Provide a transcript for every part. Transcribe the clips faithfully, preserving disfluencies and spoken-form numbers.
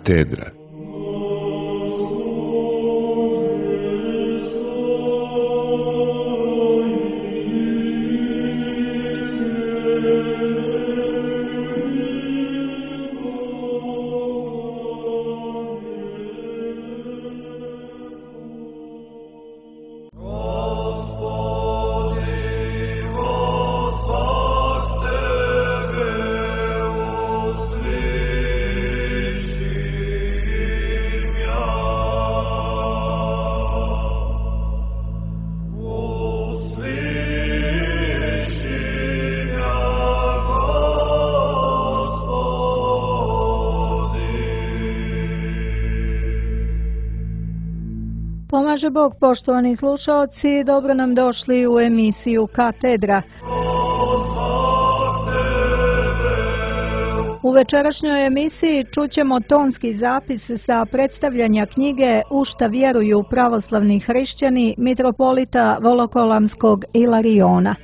Katedra. Pomaže Bog, poštovani slušaoci, dobro nam došli u emisiju Katedra. U večerašnjoj emisiji čućemo tonski zapis sa predstavljanja knjige U šta vjeruju pravoslavni hrišćani mitropolita Volokolamskog Ilariona.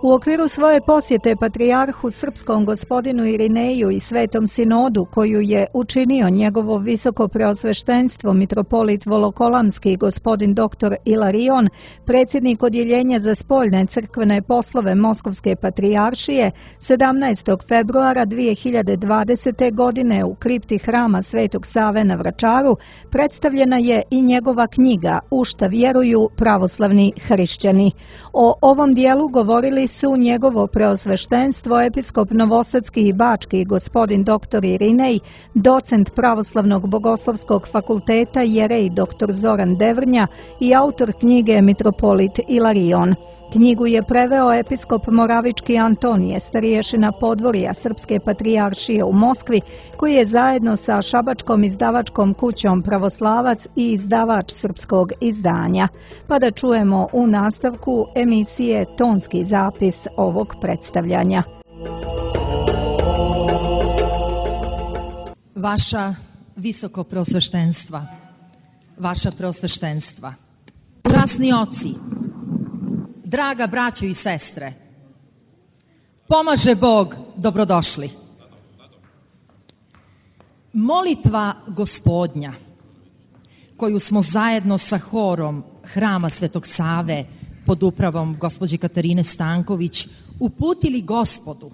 U okviru svoje posjete patrijarhu srpskom gospodinu Irineju i Svetom sinodu koju je učinio njegovo visoko preosveštenstvo mitropolit Volokolamski gospodin doktor Ilarion, predsjednik odjeljenja za spoljne crkvene poslove Moskovske patrijaršije, sedamnaestog februara dvije hiljade dvadesete. godine u kripti hrama Svetog Save na Vračaru predstavljena je i njegova knjiga U šta vjeruju pravoslavni hrišćani. O ovom dijelu govorili su njegovo preosveštenstvo episkop Novosadski i Bački gospodin doktor Irinej, docent Pravoslavnog bogoslovskog fakulteta jerej doktor Zoran Devrnja i autor knjige mitropolit Ilarion. Knjigu je preveo episkop Moravički Antonije, starješina podvorja Srpske patrijaršije u Moskvi, koji je zajedno sa šabačkom izdavačkom kućom Pravoslavac i izdavač srpskog izdanja. Pa da čujemo u nastavku emisije tonski zapis ovog predstavljanja. Vaša visoko preosveštenstva, vaša preosveštenstva, časni oci, draga braćo i sestre, pomaže Bog, dobrodošli. Molitva Gospodnja, koju smo zajedno sa horom Hrama Svetog Save pod upravom gospođe Katarine Stanković uputili Gospodu,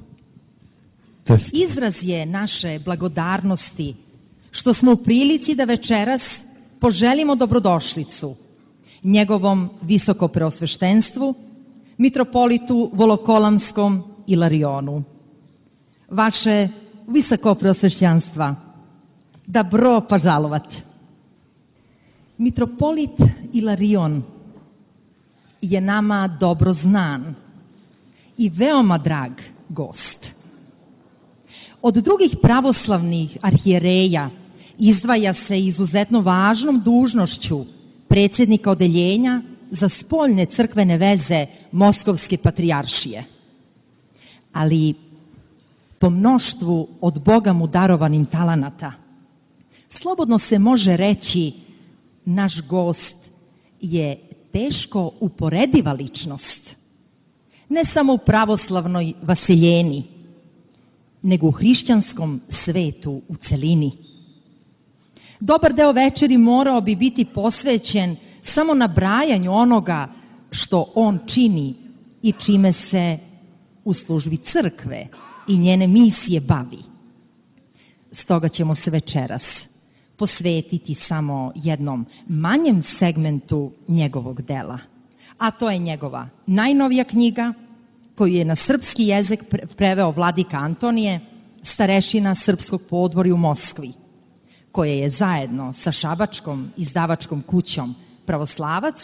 izraz je naše blagodarnosti što smo u prilici da večeras poželimo dobrodošlicu njegovom visoko preosveštenstvu, mitropolitu Volokolamskom Ilarionu. Vaše visoko preosvešćanstva, dobro požalovat. Mitropolit Ilarion je nama dobro znan i veoma drag gost. Od drugih pravoslavnih arhijereja izdvaja se izuzetno važnom dužnošću predsjednika odeljenja za spoljne crkvene veze Moskovske patrijaršije. Ali po mnoštvu od Boga mu darovanim talenata, slobodno se može reći, naš gost je teško uporediva ličnost, ne samo u pravoslavnoj vaseljeni, nego u hrišćanskom svetu u celini. Dobar deo večeri morao bi biti posvećen samo nabrajanju onoga što on čini i čime se u službi crkve i njene misije bavi. Stoga ćemo se večeras posvetiti samo jednom manjem segmentu njegovog dela, a to je njegova najnovija knjiga koju je na srpski jezik preveo vladika Antonije, starešina srpskog podvorja u Moskvi, koje je zajedno sa šabačkom izdavačkom kućom Pravoslavac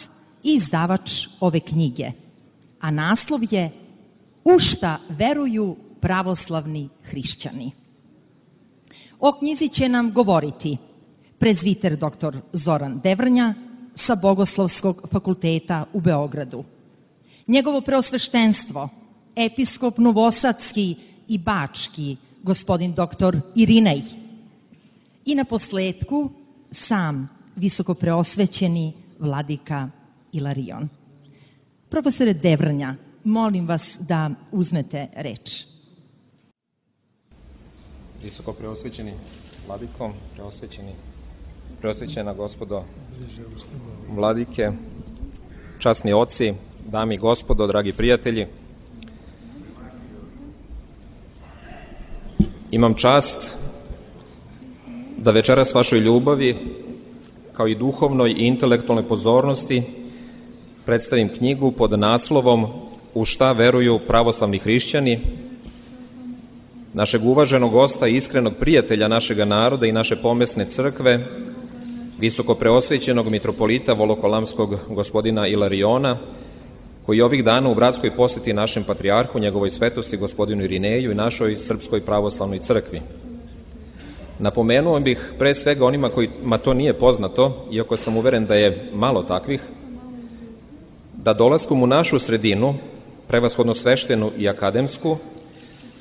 i izdavač ove knjige, a naslov je U šta veruju pravoslavni hrišćani. O knjizi će nam govoriti prezviter doktor Zoran Devrnja sa Bogoslovskog fakulteta u Beogradu, njegovo preosveštenstvo, episkop Novosadski i Bački, gospodin doktor Irinej, i na posledku sam visoko preosvećeni vladika Ilarion. Profesore Devrnja, molim vas da uzmete reč. Visoko preosvećeni vladiko, preosvećeni, preosvećena gospodo vladike, časni oci, dame i gospodo, dragi prijatelji. Imam čast da večeras vašoj ljubavi, kao i duhovnoj i intelektualnoj pozornosti, predstavim knjigu pod naslovom U šta veruju pravoslavni hrišćani, našeg uvaženog gosta i iskrenog prijatelja našega naroda i naše pomesne crkve, visoko preosvećenog mitropolita Volokolamskog gospodina Ilariona, koji ovih dana u bratskoj poseti našem patrijarhu, njegovoj svetosti gospodinu Irineju i našoj Srpskoj pravoslavnoj crkvi. Napomenuo bih pre svega onima kojima to nije poznato, iako sam uveren da je malo takvih, da dolaskom u našu sredinu, prevashodno sveštenu i akademsku,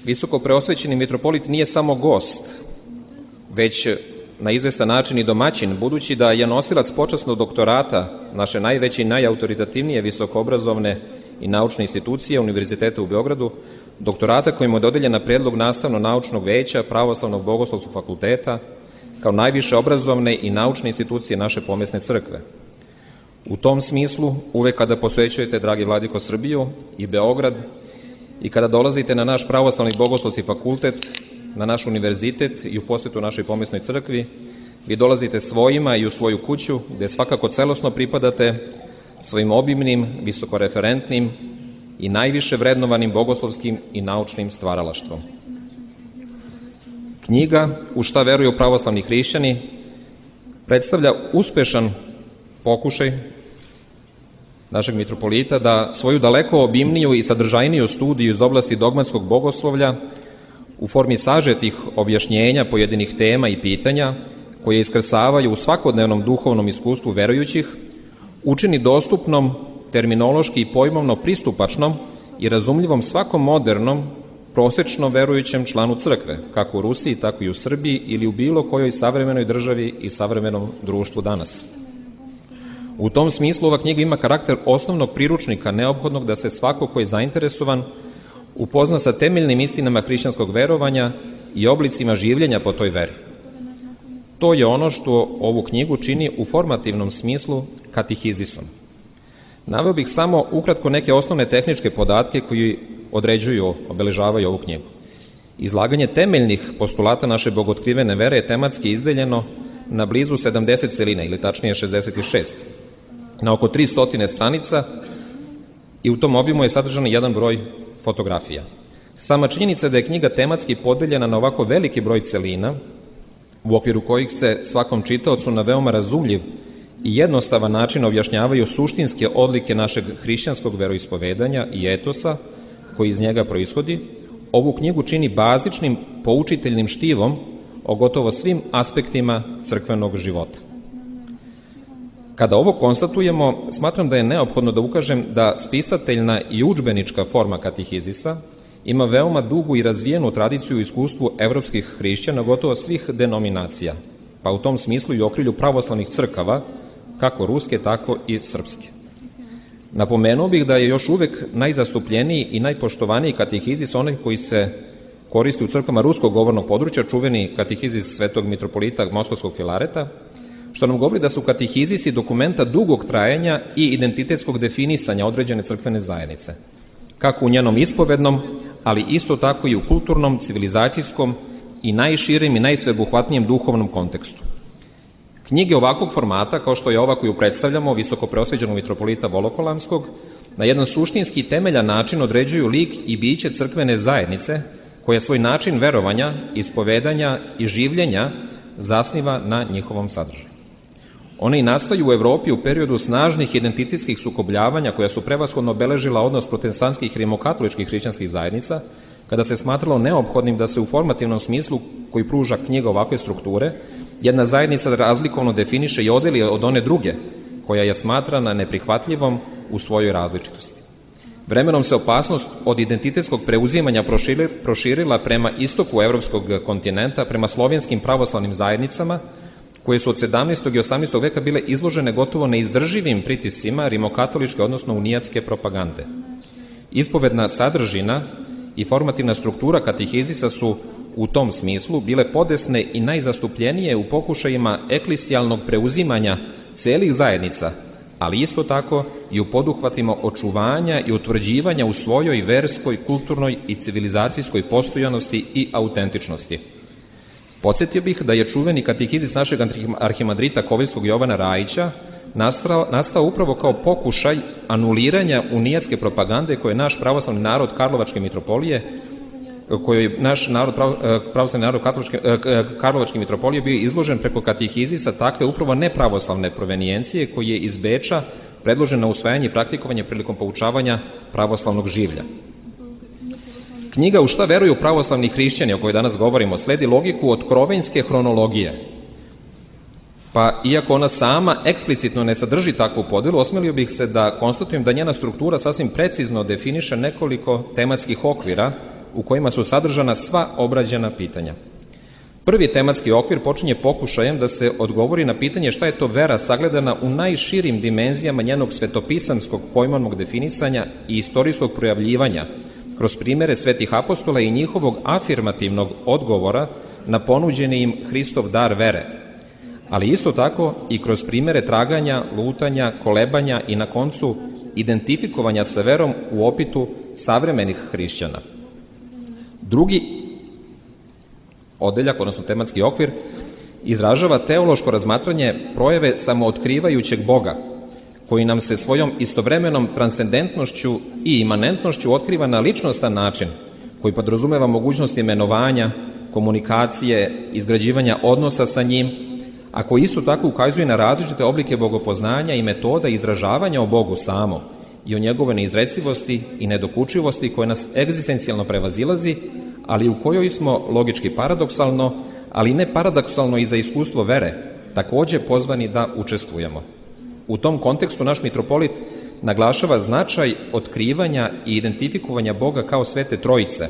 visoko preosvećeni mitropolit nije samo gost, već na izvestan način i domaćin, budući da je nosilac počasnog doktorata naše najveće i najautoritativnije visokoobrazovne i naučne institucije Univerziteta u Beogradu, doktorata kojim je dodeljen na predlog nastavno-naučnog veća Pravoslavnog bogoslovskog fakulteta, kao najviše obrazovne i naučne institucije naše pomesne crkve. U tom smislu, uvek kada posvećujete, dragi vladiko, Srbiju i Beograd, i kada dolazite na naš pravoslavni bogoslovski fakultet, na naš univerzitet i u posetu našoj pomesnoj crkvi, vi dolazite svojima i u svoju kuću, gde svakako celosno pripadate svojim obimnim, visokoreferentnim i najviše vrednovanim bogoslovskim i naučnim stvaralaštvom. Knjiga U šta veruju pravoslavni hrišćani predstavlja uspešan pokušaj našeg mitropolita da svoju daleko obimniju i sadržajniju studiju iz oblasti dogmatskog bogoslovlja u formi sažetih objašnjenja pojedinih tema i pitanja koje iskrsavaju u svakodnevnom duhovnom iskustvu verujućih, učini dostupnom, terminološki i pojmovno pristupačnom i razumljivom svakom modernom, prosečno verujućem članu crkve, kako u Rusiji, tako i u Srbiji ili u bilo kojoj savremenoj državi i savremenom društvu danas. U tom smislu ova knjiga ima karakter osnovnog priručnika neophodnog da se svako ko je zainteresovan upozna sa temeljnim istinama hrišćanskog verovanja i oblicima življenja po toj veri. To je ono što ovu knjigu čini u formativnom smislu katehizisom. Naveo bih samo ukratko neke osnovne tehničke podatke koji određuju, obeležavaju ovu knjigu. Izlaganje temeljnih postulata naše bogotkrivene vere je tematski izdeljeno na blizu sedamdeset celina, ili tačnije šezdeset šest, na oko tristo stranica i u tom obimu je sadržan jedan broj fotografija. Sama činjenica da je knjiga tematski podeljena na ovako veliki broj celina, u okviru kojih se svakom čitaocu na veoma razumljiv i jednostavan način objašnjavaju suštinske odlike našeg hrišćanskog veroispovedanja i etosa koji iz njega proishodi, ovu knjigu čini bazičnim poučiteljnim štivom o gotovo svim aspektima crkvenog života. Kada ovo konstatujemo, smatram da je neophodno da ukažem da spisateljna i udžbenička forma katehizisa ima veoma dugu i razvijenu tradiciju u iskustvu evropskih hrišćana gotovo svih denominacija, pa u tom smislu i u okrilju pravoslavnih crkava, kako ruske, tako i srpske. Napomenuo bih da je još uvek najzastupljeniji i najpoštovaniji katehizis onaj koji se koristi u crkvama ruskog govornog područja, čuveni katehizis svetog mitropolita Moskovskog Filareta, što nam govori da su katehizisi dokumenta dugog trajanja i identitetskog definisanja određene crkvene zajednice, kako u njenom ispovednom, ali isto tako i u kulturnom, civilizacijskom i najširim i najsveobuhvatnijem duhovnom kontekstu. Knjige ovakvog formata, kao što je ova koju predstavljamo, visoko preosvećenog mitropolita Volokolamskog, na jedan suštinski temeljan način određuju lik i biće crkvene zajednice, koja svoj način verovanja, ispovedanja i življenja zasniva na njihovom sadržaju. One i nastaju u Evropi u periodu snažnih identitetskih sukobljavanja koja su prevashodno obeležila odnos protestantskih i rimokatoličkih hrišćanskih zajednica, kada se smatralo neophodnim da se u formativnom smislu koji pruža knjiga ovakve strukture, jedna zajednica razlikovno definiše i odeli od one druge, koja je smatrana neprihvatljivom u svojoj različitosti. Vremenom se opasnost od identitetskog preuzimanja proširila prema istoku evropskog kontinenta, prema slovenskim pravoslavnim zajednicama, koje su od sedamnaestog i osamnaestog veka bile izložene gotovo neizdrživim pritiscima rimokatoličke, odnosno unijatske propagande. Ispovedna sadržina i formativna struktura katehizisa su u tom smislu bile podesne i najzastupljenije u pokušajima eklesijalnog preuzimanja celih zajednica, ali isto tako i u poduhvatima očuvanja i utvrđivanja u svojoj verskoj, kulturnoj i civilizacijskoj postojanosti i autentičnosti. Podsjetio bih da je čuveni katehizis našeg arhimadrita Koviljskog Jovana Rajića nastao, nastao upravo kao pokušaj anuliranja unijatske propagande koje naš pravoslavni narod Karlovačke mitropolije, koji je naš narod, pravoslavni narod Karlovačke, Karlovačke mitropolije bio izložen preko katehizisa takve upravo nepravoslavne provenijencije koji je iz Beča predložen na usvajanje i praktikovanje prilikom poučavanja pravoslavnog življa. Knjiga U šta veruju pravoslavni hrišćani, o kojoj danas govorimo, sledi logiku otkrovenjske hronologije. Pa, iako ona sama eksplicitno ne sadrži takvu podelu, osmelio bih se da konstatujem da njena struktura sasvim precizno definiše nekoliko tematskih okvira u kojima su sadržana sva obrađena pitanja. Prvi tematski okvir počinje pokušajem da se odgovori na pitanje šta je to vera sagledana u najširim dimenzijama njenog svetopisamskog pojmovnog definisanja i istorijskog projavljivanja kroz primere svetih apostola i njihovog afirmativnog odgovora na ponuđeni im Hristov dar vere, ali isto tako i kroz primere traganja, lutanja, kolebanja i na koncu identifikovanja sa verom u opitu savremenih hrišćana. Drugi odeljak, odnosno tematski okvir, izražava teološko razmatranje projave samootkrivajućeg Boga, koji nam se svojom istovremenom transcendentnošću i imanentnošću otkriva na ličnostan način, koji podrazumeva mogućnost imenovanja, komunikacije, izgrađivanja odnosa sa njim, a koji isto tako ukazuje na različite oblike bogopoznanja i metoda izražavanja o Bogu samom i o njegove neizrecivosti i nedokučivosti koje nas egzistencijalno prevazilazi, ali u kojoj smo logički paradoksalno, ali ne paradoksalno i za iskustvo vere, takođe pozvani da učestvujemo. U tom kontekstu naš mitropolit naglašava značaj otkrivanja i identifikovanja Boga kao Svete Trojice,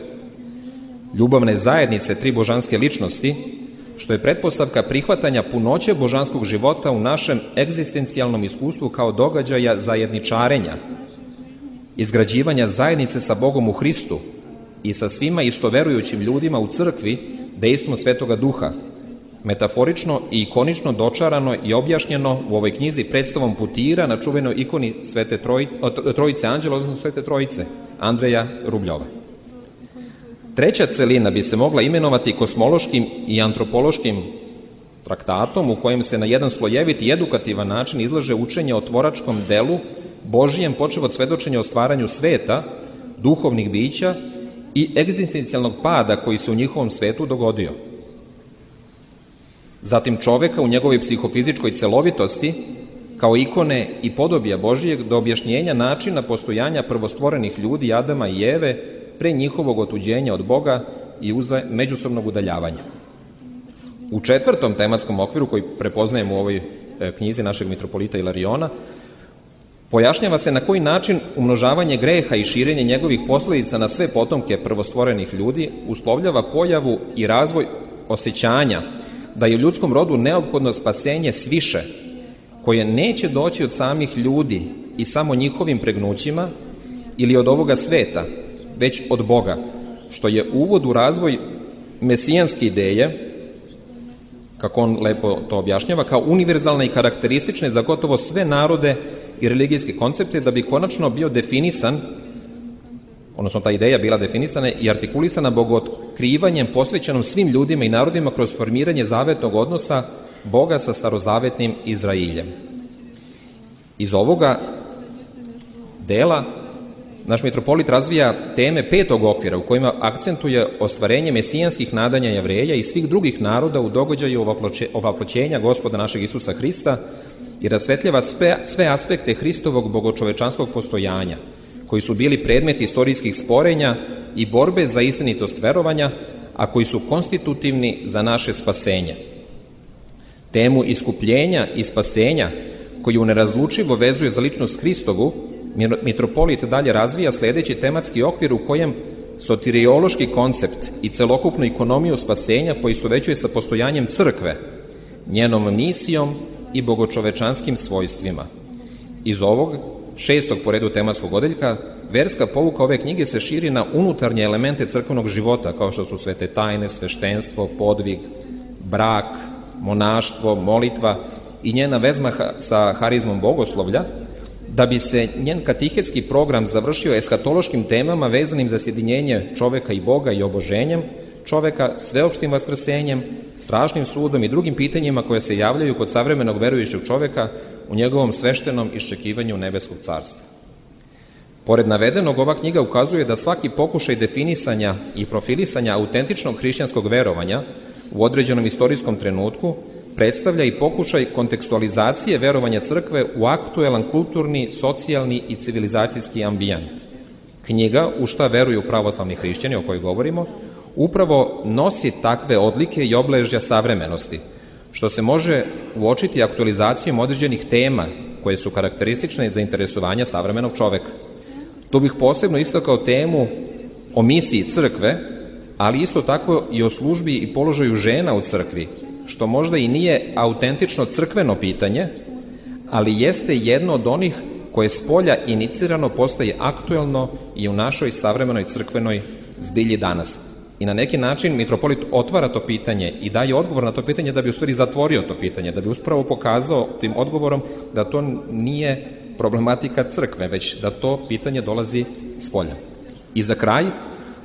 ljubavne zajednice tri božanske ličnosti, što je pretpostavka prihvatanja punoće božanskog života u našem egzistencijalnom iskustvu kao događaja zajedničarenja, izgrađivanja zajednice sa Bogom u Hristu i sa svima istoverujućim ljudima u crkvi dejstvom Svetoga Duha, metaforično i ikonično dočarano i objašnjeno u ovoj knjizi predstavom putira na čuvenoj ikoni Svete Trojice, Trojice Anđela, odnosno Svete Trojice, Andreja Rubljova. Treća celina bi se mogla imenovati kosmološkim i antropološkim traktatom u kojem se na jedan slojevit i edukativan način izlaže učenje o tvoračkom delu Božijem, počev od svedočenja o stvaranju sveta, duhovnih bića i egzistencijalnog pada koji se u njihovom svetu dogodio. Zatim čoveka u njegovoj psihofizičkoj celovitosti, kao ikone i podobija Božijeg, do objašnjenja načina postojanja prvostvorenih ljudi Adama i Eve pre njihovog otuđenja od Boga i uza međusobnog udaljavanja. U četvrtom tematskom okviru koji prepoznajemo u ovoj knjizi našeg mitropolita Ilariona, pojašnjava se na koji način umnožavanje greha i širenje njegovih posledica na sve potomke prvostvorenih ljudi uslovljava pojavu i razvoj osjećanja da je u ljudskom rodu neophodno spasenje sviše, koje neće doći od samih ljudi i samo njihovim pregnućima ili od ovoga sveta, već od Boga, što je uvod u razvoj mesijanske ideje, kako on lepo to objašnjava, kao univerzalne i karakteristične za gotovo sve narode i religijske koncepte, da bi konačno bio definisan, odnosno ta ideja bila definisana i artikulisana bogootkrivanjem posvećenom svim ljudima i narodima kroz formiranje zavetnog odnosa Boga sa starozavetnim Izrailjem. Iz ovoga dela naš mitropolit razvija teme petog okvira u kojima akcentuje ostvarenje mesijanskih nadanja Jevreja i svih drugih naroda u događaju ovaploćenja Gospoda našeg Isusa Hrista i rasvetljava sve, sve aspekte Hristovog bogočovečanskog postojanja, koji su bili predmet istorijskih sporenja i borbe za istinitost verovanja, a koji su konstitutivni za naše spasenje. Temu iskupljenja i spasenja, koju nerazlučivo vezuje za ličnost Hristovu, mitropolit dalje razvija sledeći tematski okvir u kojem soteriološki koncept i celokupnu ekonomiju spasenja poistovećuje sa postojanjem crkve, njenom misijom i bogočovečanskim svojstvima. Iz ovog šestog po redu tematskog odeljka verska pouka ove knjige se širi na unutarnje elemente crkvenog života, kao što su svete tajne, sveštenstvo, podvig, brak, monaštvo, molitva i njena vezma sa harizmom bogoslovlja, da bi se njen katehetski program završio eskatološkim temama vezanim za sjedinjenje čoveka i Boga i oboženjem čoveka, sveopštim vaskrsenjem, strašnim sudom i drugim pitanjima koje se javljaju kod savremenog verujućeg čoveka u njegovom sveštenom iščekivanju nebeskog carstva. Pored navedenog, ova knjiga ukazuje da svaki pokušaj definisanja i profilisanja autentičnog hrišćanskog verovanja u određenom istorijskom trenutku predstavlja i pokušaj kontekstualizacije verovanja crkve u aktuelan kulturni, socijalni i civilizacijski ambijent. Knjiga U šta veruju pravoslavni hrišćani, o kojoj govorimo, upravo nosi takve odlike i obeležja savremenosti, što se može uočiti aktualizacijom određenih tema koje su karakteristične za interesovanja savremenog čoveka. Tu bih posebno istakao temu o misiji crkve, ali isto tako i o službi i položaju žena u crkvi, što možda i nije autentično crkveno pitanje, ali jeste jedno od onih koje s polja inicirano postaje aktuelno i u našoj savremenoj crkvenoj zbilji danas. I na neki način mitropolit otvara to pitanje i daje odgovor na to pitanje da bi u stvari zatvorio to pitanje, da bi uspravo pokazao tim odgovorom da to nije problematika crkve, već da to pitanje dolazi s polja. I za kraj,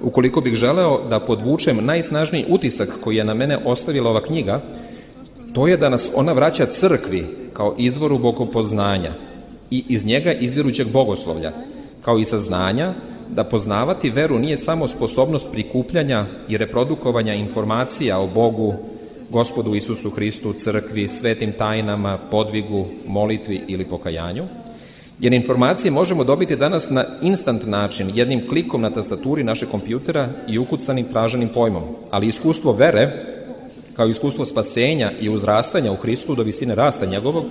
ukoliko bih želeo da podvučem najsnažniji utisak koji je na mene ostavila ova knjiga, to je da nas ona vraća crkvi kao izvoru bogopoznanja i iz njega izvirućeg bogoslovlja, kao i saznanja da poznavati veru nije samo sposobnost prikupljanja i reprodukovanja informacija o Bogu, Gospodu Isusu Hristu, crkvi, svetim tajnama, podvigu, molitvi ili pokajanju, jer informacije možemo dobiti danas na instant način, jednim klikom na tastaturi našeg kompjutera i ukucanim traženim pojmom, ali iskustvo vere, kao iskustvo spasenja i uzrastanja u Hristu do visine rasta njegovog,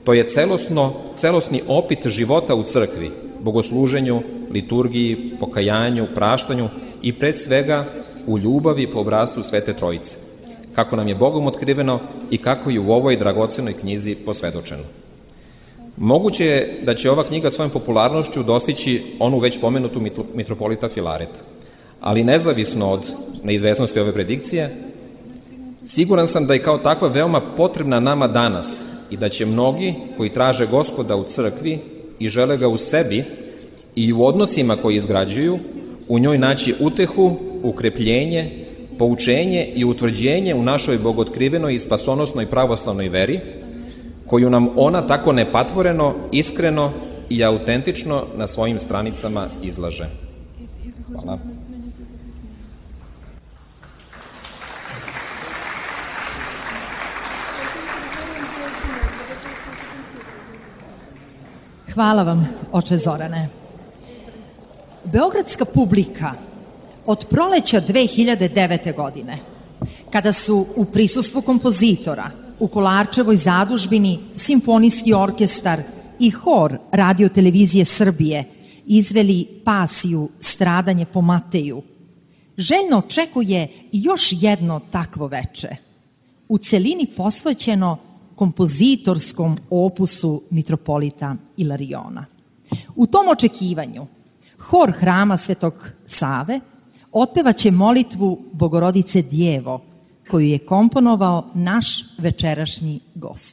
to je celosno, celosni opit života u crkvi, bogosluženju, liturgiji, pokajanju, praštanju i pred svega u ljubavi po obrascu Svete Trojice, kako nam je Bogom otkriveno i kako je u ovoj dragocenoj knjizi posvedočeno. Moguće je da će ova knjiga svojom popularnošću dostići onu već pomenutu mitropolita Filareta, ali nezavisno od neizvesnosti ove predikcije, siguran sam da je kao takva veoma potrebna nama danas i da će mnogi koji traže Gospoda u crkvi i žele ga u sebi i u odnosima koji izgrađuju, u njoj naći utehu, ukrepljenje, poučenje i utvrđenje u našoj bogotkrivenoj i spasonosnoj pravoslavnoj veri, koju nam ona tako nepatvoreno, iskreno i autentično na svojim stranicama izlaže. Hvala. Hvala vam, oče Zorane. Beogradska publika od proleća dve hiljade devete. godine, kada su u prisustvu kompozitora u Kolarčevoj zadužbini Simfonijski orkestar i hor Radio-televizije Srbije izveli pasiju Stradanje po Mateju, željno očekuje još jedno takvo veče, u celini posvećeno kompozitorskom opusu mitropolita Ilariona. U tom očekivanju hor hrama Svetog Save otpevaće molitvu Bogorodice Djevo, koju je komponovao naš večerašnji gost.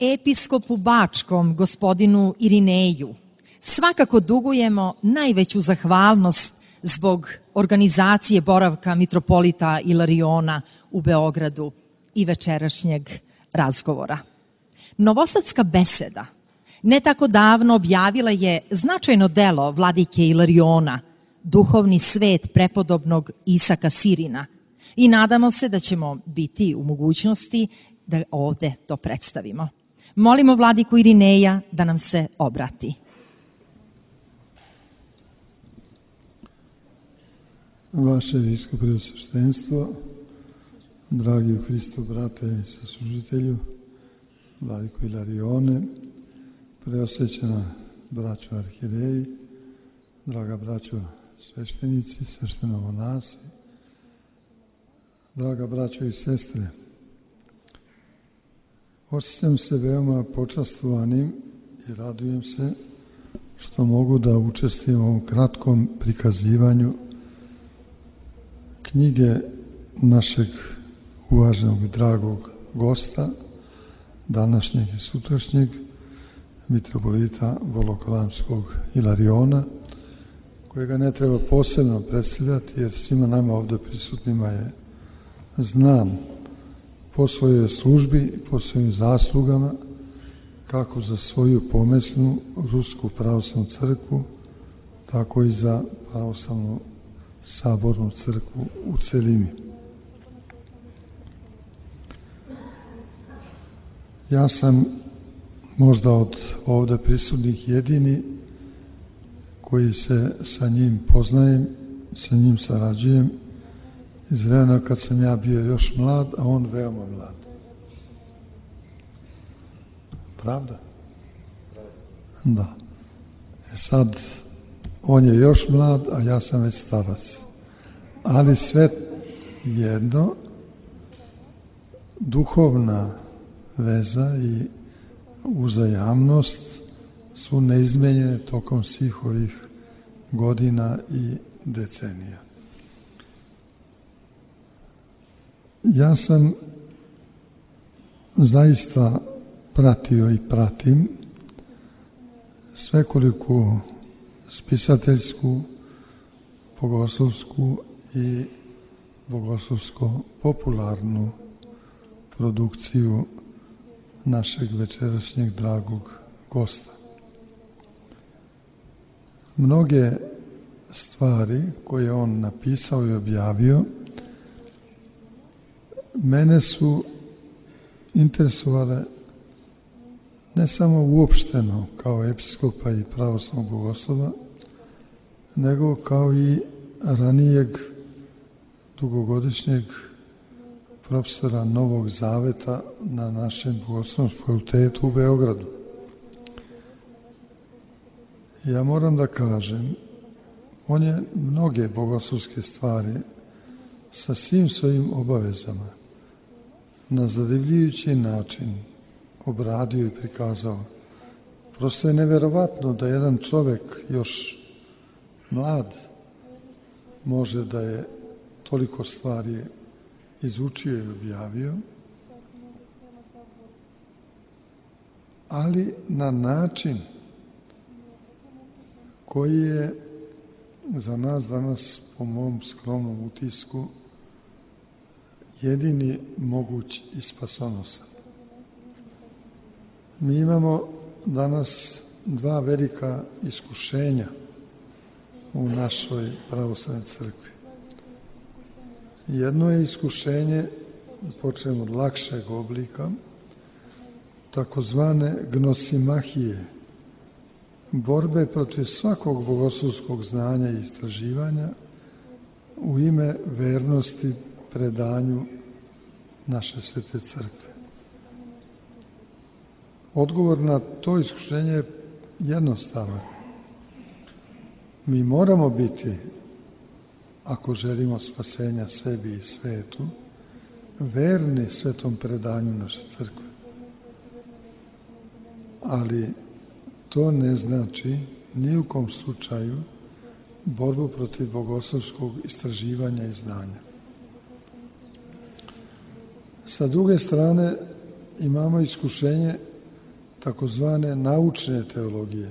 episkopu Bačkom, gospodinu Irineju, svakako dugujemo najveću zahvalnost zbog organizacije boravka mitropolita Ilariona u Beogradu i večerašnjeg razgovora. Novosadska beseda ne tako davno objavila je značajno delo vladike Ilariona, Duhovni svet prepodobnog Isaka Sirina, i nadamo se da ćemo biti u mogućnosti da ovde to predstavimo. Molimo vladiku Irineja da nam se obrati. Vaše visko preosveštenstvo, dragi u Hristu brate i saslužitelju, vladiko Ilarione, preosvećena braćo arhijereji, draga braćo sveštenici, sveštenomonasi, draga braćo i sestre, osjećam se veoma počastvovanim i radujem se što mogu da učestvujem u ovom kratkom prikazivanju knjige našeg uvaženog i dragog gosta, današnjeg i sutrašnjeg, mitropolita Volokolamskog Ilariona, kojega ne treba posebno predstavljati, jer svima nama ovdje prisutnima je znan po svojoj službi, po svojim zaslugama, kako za svoju pomesnu Rusku pravoslavnu crkvu, tako i za pravoslavnu sabornu crkvu u celini. Ja sam možda od ovdje prisutnih jedini koji se sa njim poznajem, sa njim sarađujem iz vremena kad sam ja bio još mlad, a on veoma mlad. Pravda? Da. E sad, on je još mlad, a ja sam već starac. Ali sve jedno, duhovna veza i uzajamnost su neizmenjene tokom svih ovih godina i decenija. Ja sam zaista pratio i pratim svekoliku spisateljsku, bogoslovsku i bogoslovsko-popularnu produkciju našeg večerašnjeg dragog gosta. Mnoge stvari koje on napisao i objavio mene su interesovale ne samo uopšteno kao episkopa i pravoslavnog bogoslova, nego kao i ranijeg dugogodišnjeg profesora Novog Zaveta na našem bogoslovnom fakultetu u Beogradu. Ja moram da kažem, on je mnoge bogoslovske stvari sa svim svojim obavezama na zadivljujući način obradio i prikazao. Prosto je neverovatno da jedan čovek još mlad može da je toliko stvari izučio i objavio, ali na način koji je za nas danas, po mom skromnom utisku, jedini moguć i spasonosan. Mi imamo danas dva velika iskušenja u našoj pravoslavnoj crkvi. Jedno je iskušenje, počnemo od lakšeg oblika, takozvane gnosimahije, borbe protiv svakog bogoslovskog znanja i istraživanja u ime vernosti predanju naše svete crkve. Odgovor na to iskušenje je jednostavan. Mi moramo biti, ako želimo spasenja sebi i svetu, verni svetom predanju naše crkve. Ali to ne znači ni u kom slučaju borbu protiv bogoslovskog istraživanja i znanja. Sa druge strane imamo iskušenje takozvane naučne teologije.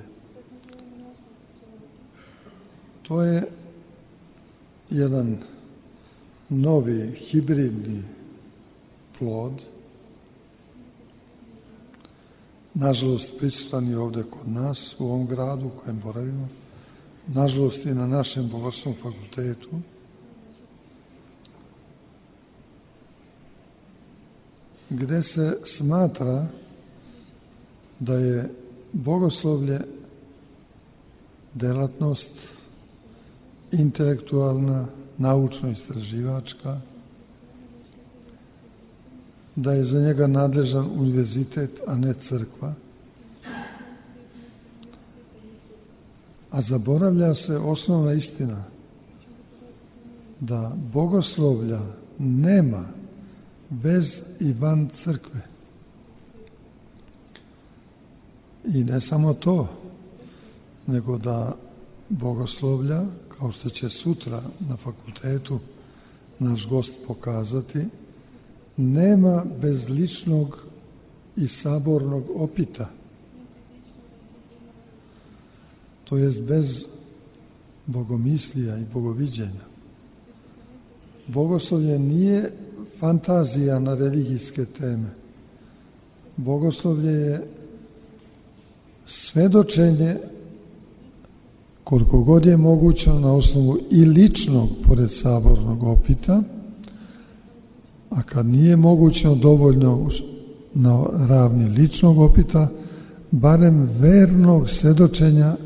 To je jedan novi hibridni plod, nažalost prisutan je ovde kod nas u ovom gradu u kojem boravimo, nažalost i na našem Bogoslovnom fakultetu. Gde se smatra da je bogoslovlje delatnost intelektualna, naučno-istraživačka, da je za njega nadležan univerzitet, a ne crkva. A zaboravlja se osnovna istina da bogoslovlja nema bez i van crkve. I ne samo to, nego da bogoslovlja, kao što će sutra na fakultetu naš gost pokazati, nema bez ličnog i sabornog opita. To jest bez bogomislija i bogoviđenja. Bogoslovlje nije fantazija na religijske teme. Bogoslovlje je svedočenje koliko god je moguće na osnovu i ličnog, pored sabornog opita, a kad nije moguće dovoljno na ravni ličnog opita, barem vernog svedočenja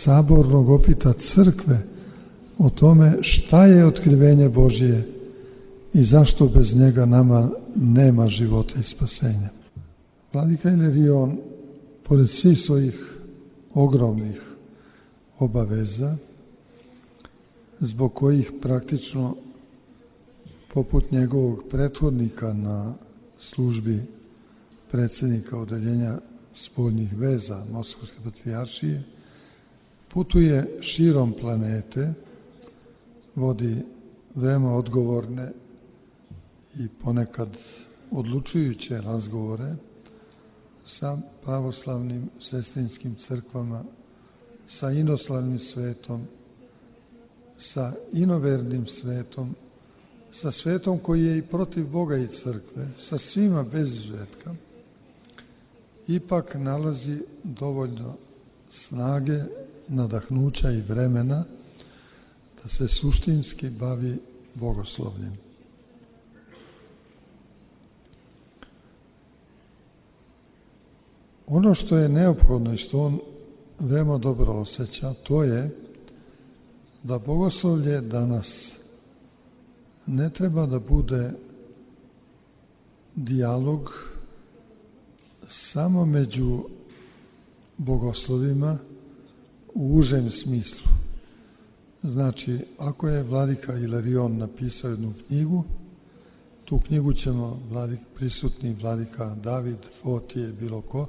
sabornog opita crkve o tome šta je otkrivenje Božije i zašto bez njega nama nema života i spasenja. Vladika Ilarion, pored svih svojih ogromnih obaveza, zbog kojih praktično, poput njegovog prethodnika na službi predsjednika odeljenja spoljnih veza Moskovske patrijaršije, putuje širom planete, vodi veoma odgovorne i ponekad odlučujuće razgovore sa pravoslavnim sestrinskim crkvama, sa inoslavnim svetom, sa inovernim svetom, sa svetom koji je i protiv Boga i crkve, sa svima bez izuzetka, ipak nalazi dovoljno snage, nadahnuća i vremena da se suštinski bavi bogoslovljem. Ono što je neophodno i što on veoma dobro osjeća, to je da bogoslovlje danas ne treba da bude dijalog samo među bogoslovima u užem smislu. Znači, ako je vladika Ilarion napisao jednu knjigu, tu knjigu ćemo vladik, prisutni vladika David, Fotije, bilo ko,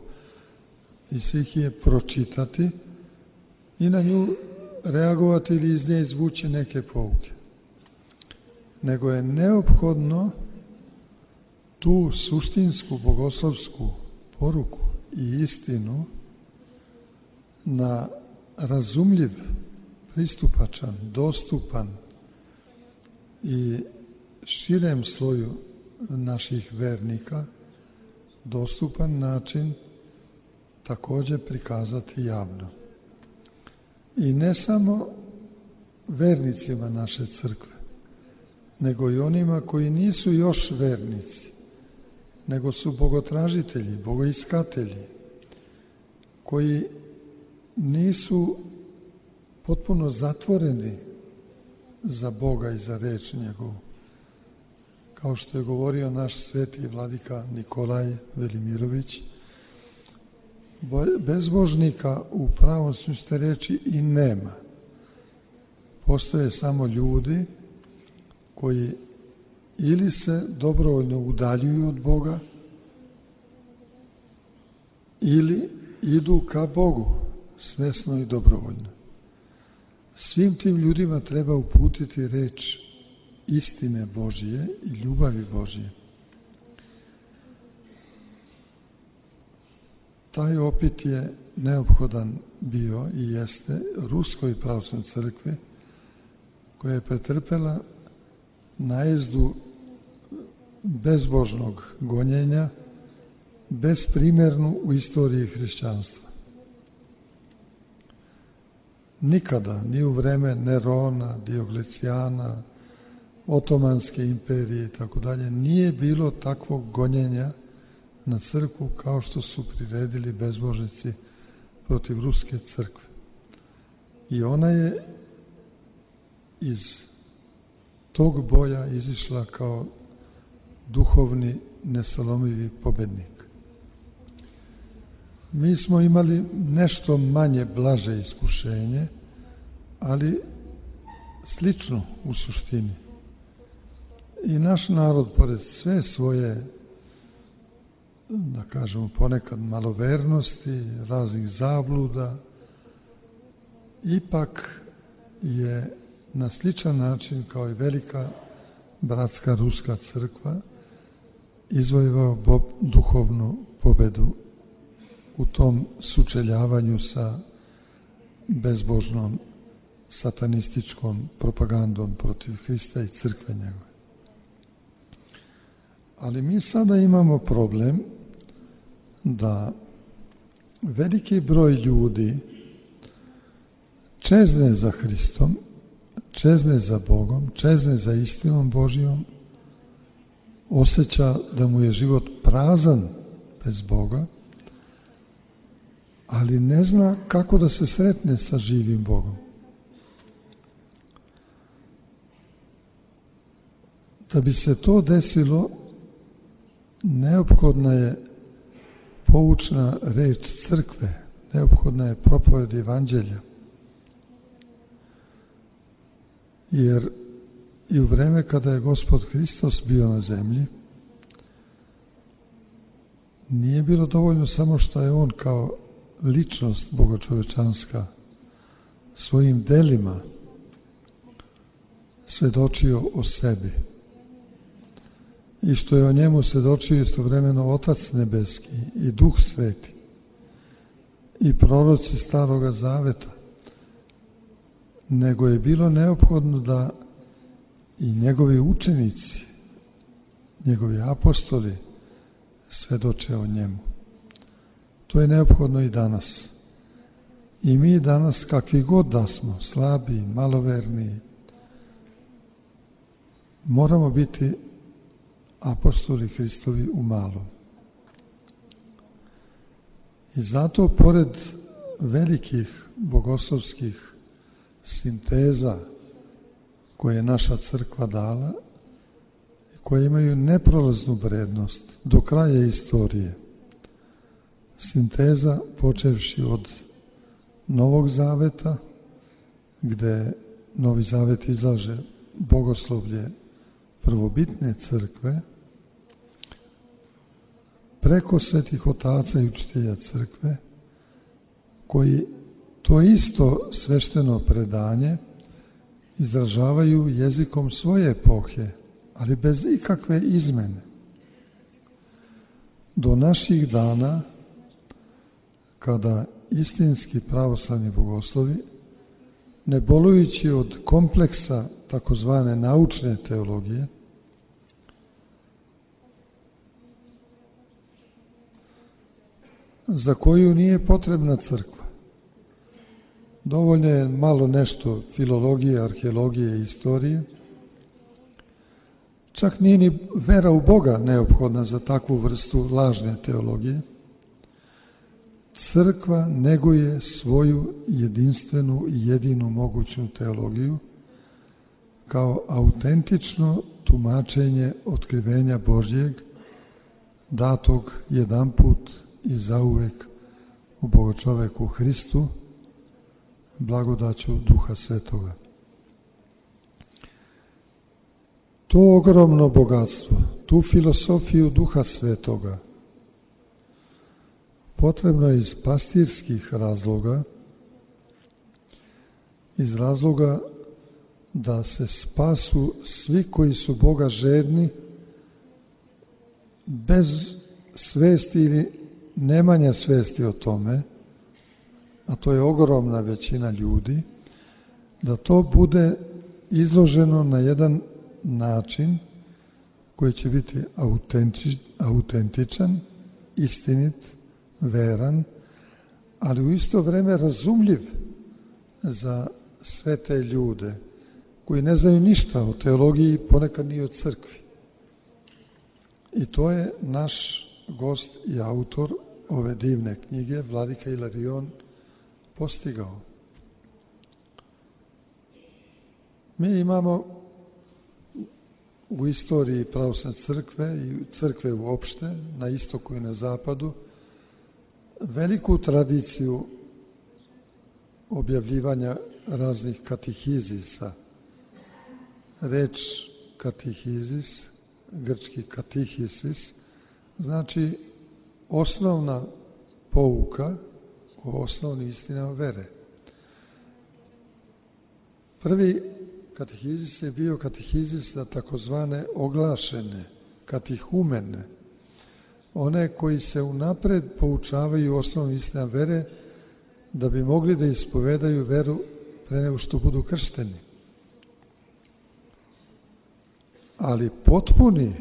i svih je pročitati i na nju reagovati ili iz nje izvući neke pouke. Nego je neophodno tu suštinsku bogoslovsku poruku i istinu na razumljiv, pristupačan, dostupan i širem sloju naših vernika dostupan način također prikazati javno. I ne samo vernicima naše crkve, nego i onima koji nisu još vernici, nego su bogotražitelji, bogoiskatelji, koji nisu potpuno zatvoreni za Boga i za reč njegovu. Kao što je govorio naš sveti vladika Nikolaj Velimirović, bezbožnika u pravom smislu reči i nema. Postoje samo ljudi koji ili se dobrovoljno udaljuju od Boga ili idu ka Bogu svesno i dobrovoljno. Svim tim ljudima treba uputiti reč istine Božije i ljubavi Božije. taj opit je neophodan bio i jeste Ruskoj pravoslavnoj crkvi, koja je pretrpela najezdu bezbožnog gonjenja, besprimernu u istoriji hrišćanstva. Nikada, ni u vreme Nerona, Dioklecijana, Otomanske imperije i tako dalje, nije bilo takvog gonjenja na crkvu kao što su priredili bezbožnici protiv Ruske crkve. I ona je iz tog boja izišla kao duhovni nesalomivi pobednik. Mi smo imali nešto manje blaže iskušenje, ali slično u suštini. I naš narod, pored sve svoje, da kažemo, ponekad malovernosti, raznih zabluda, ipak je na sličan način kao i velika bratska ruska crkva izvojevao duhovnu pobedu u tom sučeljavanju sa bezbožnom satanističkom propagandom protiv Hrista i crkve njegove. Ali mi sada imamo problem da veliki broj ljudi čezne za Hristom, čezne za Bogom, čezne za istinom Božijom, osjeća da mu je život prazan bez Boga, ali ne zna kako da se sretne sa živim Bogom. Da bi se to desilo, neophodna je poučna reč crkve, neophodna je propoved evanđelja. Jer i u vreme kada je Gospod Hristos bio na zemlji, nije bilo dovoljno samo što je on kao ličnost bogočovečanska svojim delima svedočio o sebi i što je o njemu svedočio istovremeno Otac nebeski i Duh sveti i proroci Staroga Zaveta, nego je bilo neophodno da i njegovi učenici, njegovi apostoli svedoče o njemu. To je neophodno i danas. I mi danas, kakvi god da smo, slabi, maloverni, moramo biti apostoli Hristovi u malom. I zato, pored velikih bogoslovskih sinteza koje je naša crkva dala, koje imaju neprolaznu vrednost do kraja istorije, sinteza počevši od Novog Zaveta, gde Novi Zavet izlaže bogoslovlje prvobitne crkve, preko svetih otaca i učitelja crkve, koji to isto svešteno predanje izražavaju jezikom svoje epohe, ali bez ikakve izmene. Do naših dana, kada istinski pravoslavni bogoslovi, ne bolujući od kompleksa takozvane naučne teologije, za koju nije potrebna crkva. Dovoljno je malo nešto filologije, arheologije i istorije. Čak nije ni vera u Boga neophodna za takvu vrstu lažne teologije. Crkva neguje svoju jedinstvenu i jedinu moguću teologiju kao autentično tumačenje otkrivenja Božjeg, datog jedanput i zauvek u Bogočoveku Hristu, blagodaću Duha Svetoga. To ogromno bogatstvo, tu filosofiju Duha Svetoga, potrebno je iz pastirskih razloga, iz razloga da se spasu svi koji su Boga žedni, bez svesti ili nemanja svesti o tome, a to je ogromna većina ljudi, da to bude izloženo na jedan način koji će biti autentič, autentičan, istinit, veran, ali u isto vreme razumljiv za sve te ljude koji ne znaju ništa o teologiji, ponekad ni o crkvi. I to je naš gost i autor ove divne knjige, vladika Ilarion, postigao. Mi imamo u istoriji pravoslavne crkve i crkve uopšte, na istoku i na zapadu, veliku tradiciju objavljivanja raznih katehizisa. Reč katehizis, grčki katehisis, znači osnovna pouka o osnovnim istinama vere. Prvi katehizis je bio katehizis za takozvane oglašene, katehumene, one koji se unapred poučavaju osnovnim istinama vere da bi mogli da ispovedaju veru pre nego što budu kršteni. Ali potpuni,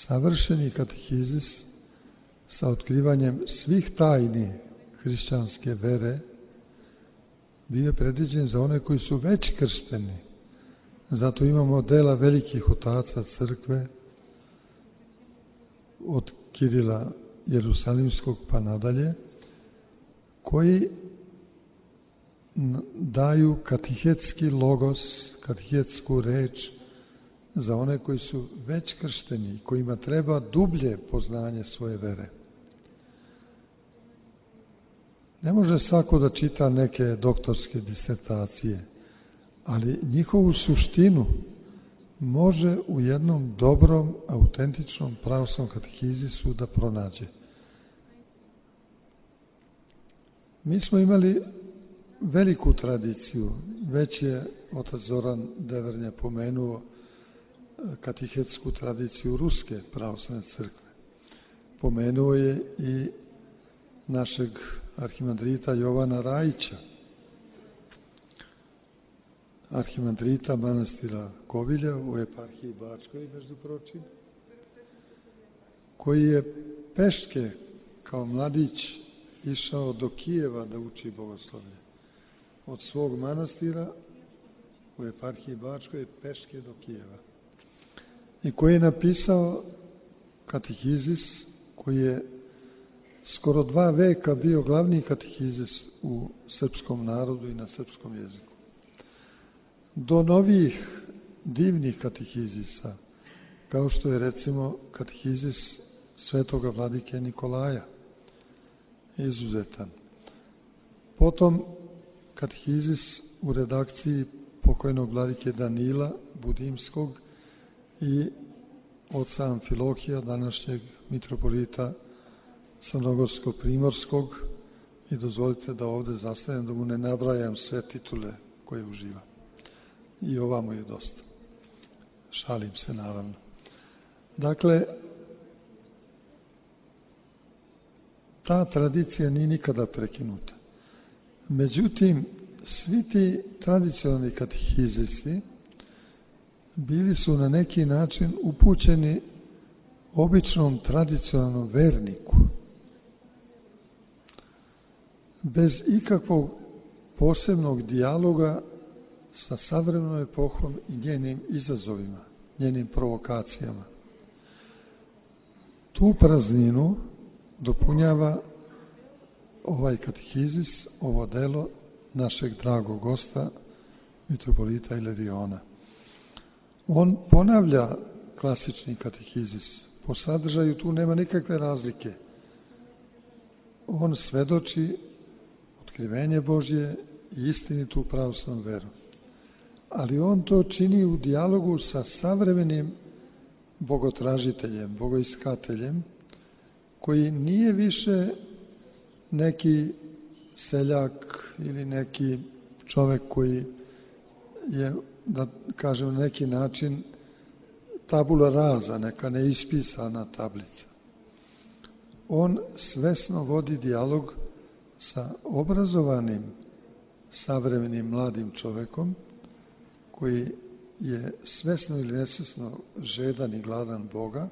savršeni katehizis sa otkrivanjem svih tajni hrišćanske vere bio je predviđen za one koji su već kršteni. Zato imamo dela velikih otaca crkve, od Kirila Jerusalimskog pa nadalje, koji daju katehetski logos, katehetsku reč za one koji su već kršteni, kojima treba dublje poznanje svoje vere. Ne može svako da čita neke doktorske disertacije, ali njihovu suštinu može u jednom dobrom, autentičnom pravoslavnom katehizisu da pronađe. Mi smo imali veliku tradiciju, već je otac Zoran Devernja pomenuo katehetsku tradiciju Ruske pravoslavne crkve. Pomenuo je i našeg arhimandrita Jovana Rajića, arhimandrita manastira Kovilja u eparhiji Bačkoj, među pročim, koji je peške kao mladić išao do Kijeva da uči bogoslovlje. Od svog manastira u eparhiji Bačkoj peške do Kijeva. I koji je napisao katehizis koji je skoro dva veka bio glavni katehizis u srpskom narodu i na srpskom jeziku. Do novih divnih katehizisa, kao što je recimo katehizis svetoga vladike Nikolaja, izuzetan. Potom katehizis u redakciji pokojnog vladike Danila Budimskog i oca Amfilohija, današnjeg mitropolita Crnogorsko-Primorskog, i dozvolite da ovde zastanem, da mu ne nabrajam sve titule koje uživa. I ovamo je dosta. Šalim se, naravno. Dakle, ta tradicija nije nikada prekinuta. Međutim, svi ti tradicionalni katehizisi bili su na neki način upućeni običnom tradicionalnom verniku, bez ikakvog posebnog dijaloga sa savremenom epohom i njenim izazovima, njenim provokacijama. Tu prazninu dopunjava ovaj katehizis, ovo delo našeg dragog gosta, mitropolita Ilariona. On ponavlja klasični katehizis. Po sadržaju tu nema nikakve razlike. On svedoči otkrivenje Božje i istinitu pravoslavnu veru. Ali on to čini u dijalogu sa savremenim bogotražiteljem, bogoiskateljem, koji nije više neki seljak ili neki čovek koji je, da kažem, na neki način tabula rasa, neka neispisana tablica. on svesno vodi dijalog sa obrazovanim savremenim mladim čovekom koji je svesno ili nesvesno žedan i gladan Boga,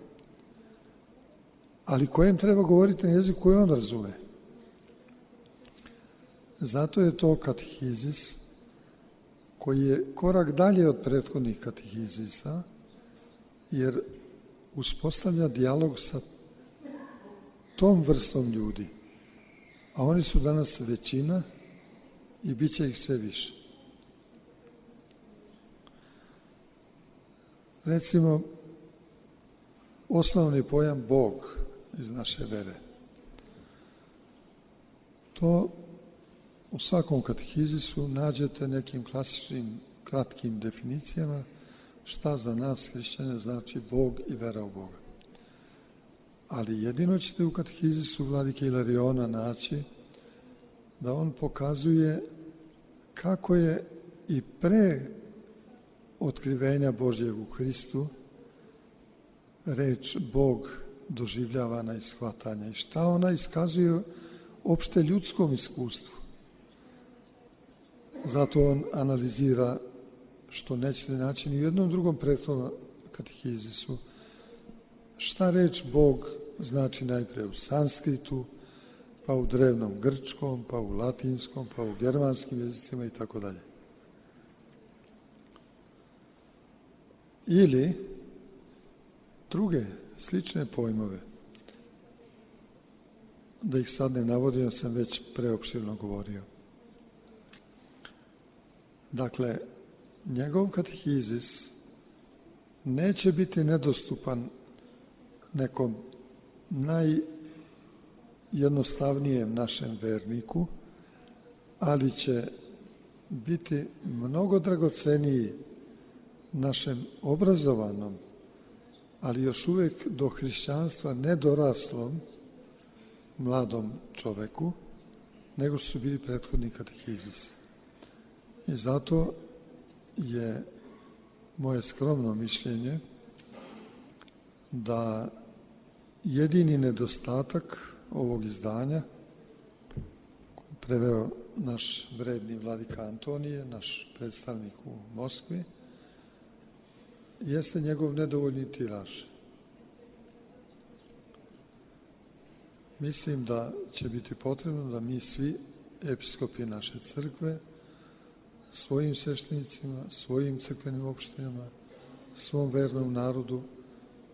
ali kojem treba govoriti na jeziku koji on razume. Zato je to katehizis koji je korak dalje od prethodnih katehizisa, jer uspostavlja dijalog sa tom vrstom ljudi, a oni su danas većina i bit će ih sve više. Recimo, osnovni pojam Bog iz naše vere. To u svakom katehizisu nađete nekim klasičnim, kratkim definicijama šta za nas hrišćane znači Bog i vera u Boga. Ali jedino ćete u katehizisu vladike Ilariona naći da on pokazuje kako je i pre otkrivenja Božjeg u Hristu reč Bog doživljavana i shvatanja i šta ona iskazuje opšte ljudskom iskustvu. Zato on analizira, što nećete naći ni u jednom drugom prethodnom katehizisu, šta reč Bog znači najpre u sanskritu, pa u drevnom grčkom, pa u latinskom, pa u germanskim jezicima i tako dalje. Ili druge slične pojmove, da ih sad ne navodim, sam već preopširno govorio. Dakle, njegov katehizis neće biti nedostupan nekom najjednostavnijem našem verniku, ali će biti mnogo dragoceniji našem obrazovanom, ali još uvek do hrišćanstva nedoraslom mladom čoveku, nego što su bili prethodni katehizisi. I zato je moje skromno mišljenje da jedini nedostatak ovog izdanja, preveo naš vredni vladika Antonije, naš predstavnik u Moskvi, jeste njegov nedovoljni tiraž. Mislim da će biti potrebno da mi svi episkopi naše crkve svojim sveštenicima, svojim crkvenim opštinama, svom vernom narodu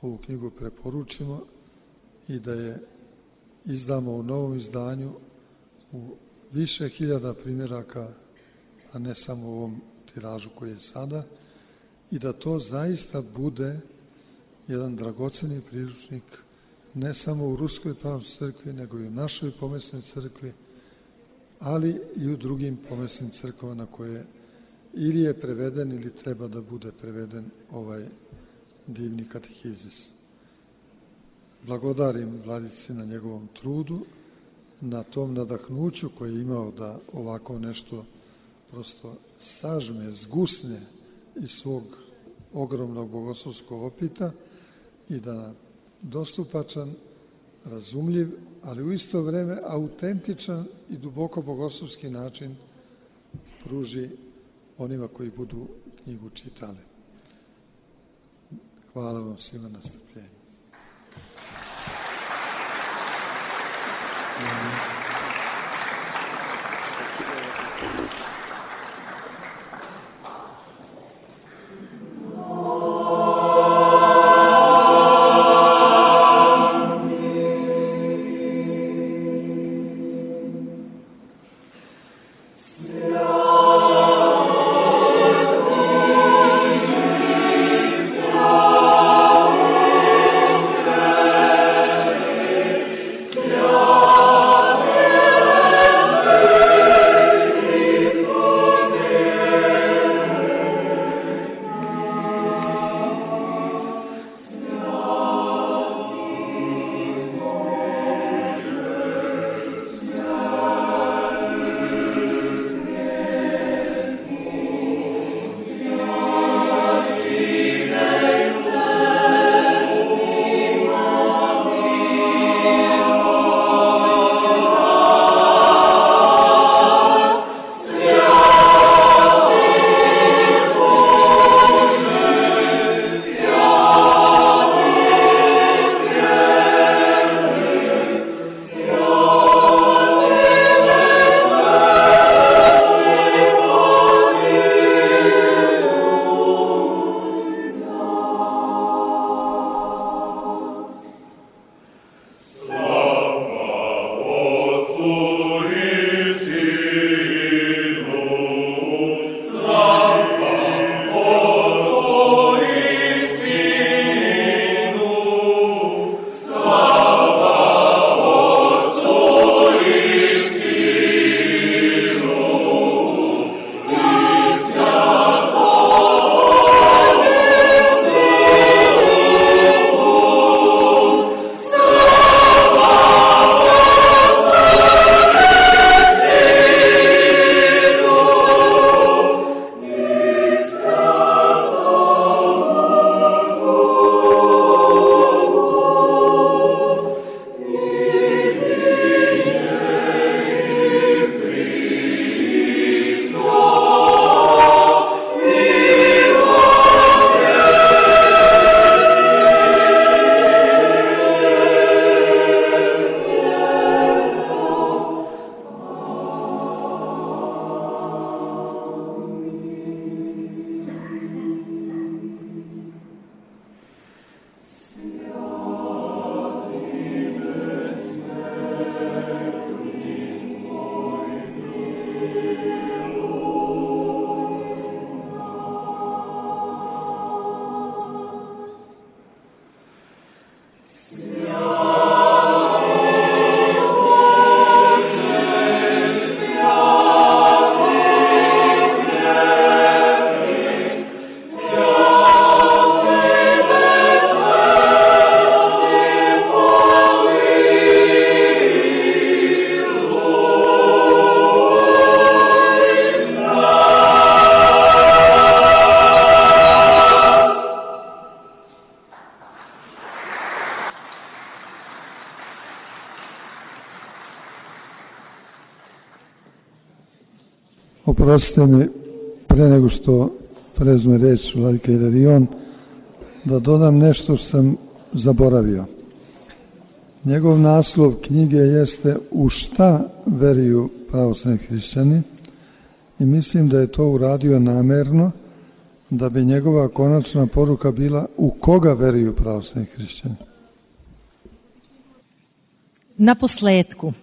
ovu knjigu preporučimo i da je izdamo u novom izdanju u više hiljada primjeraka, a ne samo u ovom tiražu koji je sada, i da to zaista bude jedan dragoceni priručnik ne samo u Ruskoj pravoslavnoj crkvi, nego i u našoj pomesnoj crkvi, ali i u drugim pomesnim crkvama na koje ili je preveden ili treba da bude preveden ovaj divni katehizis. Blagodarim vladici na njegovom trudu, na tom nadahnuću koje je imao da ovako nešto prosto sažme, zgusne iz svog ogromnog bogoslovskog opita i da dostupačan, razumljiv, ali u isto vreme autentičan i duboko bogoslovski način pruži onima koji budu knjigu čitali. Hvala vam svima na strpljenju. Amen. Oprostite mi, pre nego što prezme reč vladika Ilarion, da dodam nešto što sam zaboravio. Njegov naslov knjige jeste U šta veruju pravoslavni hrišćani i mislim da je to uradio namerno da bi njegova konačna poruka bila u koga veruju pravoslavni hrišćani. Na posledku,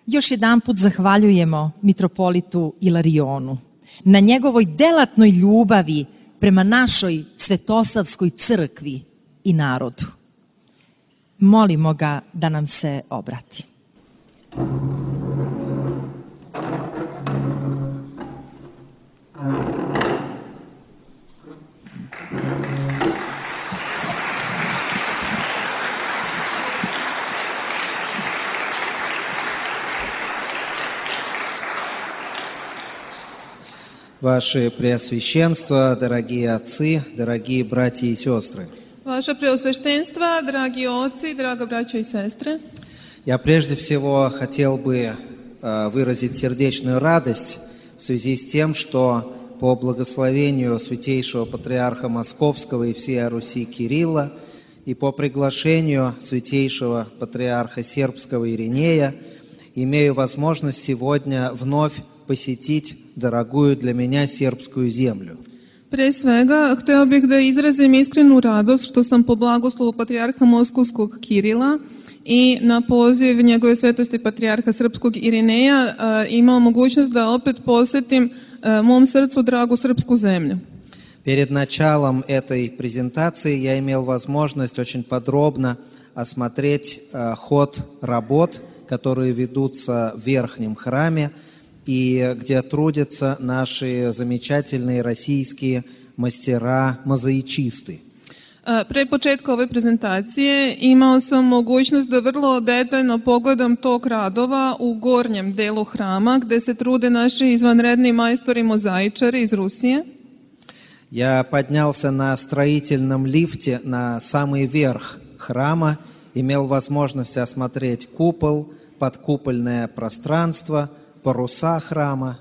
još jedan put zahvaljujemo mitropolitu Ilarionu na njegovoj delatnoj ljubavi prema našoj Svetosavskoj crkvi i narodu. Molimo ga da nam se obrati. Ваше Преосвященство, дорогие отцы, дорогие братья и сестры. Ваше Преосвященство, дорогие отцы, дорогие братья и сестры. Я прежде всего хотел бы выразить сердечную радость в связи с тем, что по благословению Святейшего Патриарха Московского и всей Руси Кирилла и по приглашению Святейшего Патриарха Сербского Иринея имею возможность сегодня вновь посетить дорогую для меня сербскую землю. Pre svega, hteo bih da izrazim iskrenu radost što sam po blagoslovu Patrijarha Moskovskog Kirila i na poziv njegove svetosti Patrijarha Srpskog Irineja imao mogućnost da opet posjetim mom srcu dragu srpsku zemlju. Перед началом этой презентации я имел возможность очень подробно осмотреть ход работ, которые ведутся в Верхнем храме, и где трудятся наши замечательные российские мастера-мозаичисты. Pre početka ove prezentacije imao sam mogućnost da vrlo detaljno pogledam tok radova u gornjem delu hrama gdje se trude naši izvanredni majstori mozaičari iz Rusije. Я поднялся на строительном лифте на самый верх храма, имел возможность осмотреть купол, подкупольное пространство, паруса храма.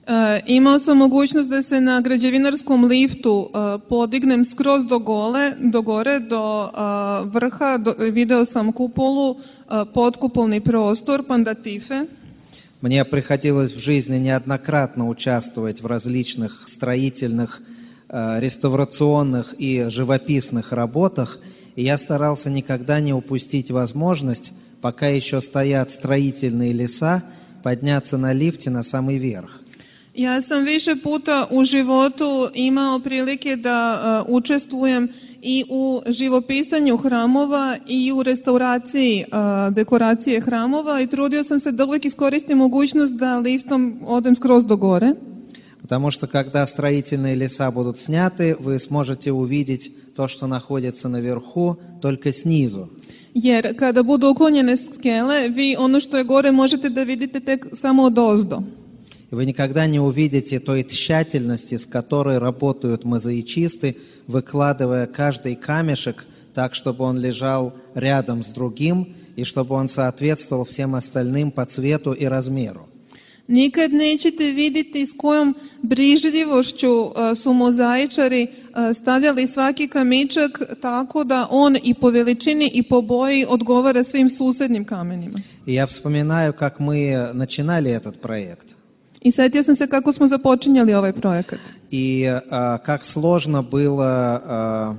E, imao sam mogućnost da se na građevinarskom liftu e, podignem skroz do, gole, do gore, do e, vrha, do, video sam kupolu, e, podkupolni prostor, pandatife. Мне приходилось в жизни неоднократно участвовать в различных строительных, э, реставрационных и живописных работах, и я старался никогда не упустить возможность, пока еще стоят строительные леса, подняться на лифте на самый верх. Ja sam više puta u životu imao prilike da uh, učestvujem i u živopisanju hramova i u restauraciji uh, dekoracije hramova i trudio sam se da uvijek iskoristim mogućnost da liftom odem skroz do gore. Потому что когда строительные леса будут сняты, вы сможете увидеть то, что находится наверху, только снизу. Jer kada budu uklonjene skele, vi ono što je gore možete da vidite tek samo odozdo. И вы никогда не увидите той тщательности, с которой работают мозаичисты, выкладывая каждый камешек так, чтобы он лежал рядом с другим и чтобы он соответствовал всем остальным по цвету и размеру. Nikad nećete vidjeti s kojom brižljivošću uh, su mozaičari uh, stavljali svaki kamičak tako da on i po veličini i po boji odgovara svim susednim kamenima. И я вспоминаю, как мы начинали этот проект. I sjetio sam se kako smo započinjali ovaj projekat. И а, как сложно было а,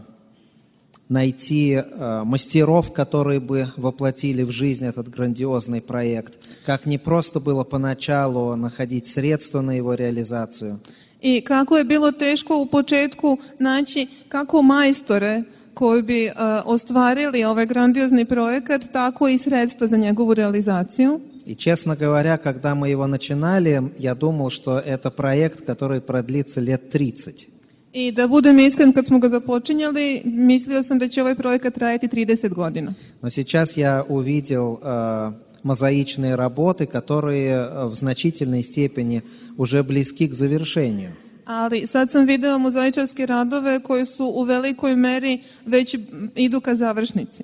найти а, мастеров, которые бы воплотили в жизнь этот грандиозный проект. Как не просто было поначалу находить средства на его реализацию. I kako je bilo teško u početku naći kako majstore koji bi uh, ostvarili ovaj grandiozni projekat, tako i sredstva za njegovu realizaciju. И, честно говоря, когда мы его начинали, я думал, что это проект, который продлится лет тридцать. I da budem iskren, kad smo ga započinjali, mislio sam da će ovaj projekat trajati trideset godina. Но сейчас я увидел э, мозаичные работы, которые в значительной степени уже близки к завершению. Ali sad sam video mozaičarske radove koji su u velikoj meri već idu ka završnici.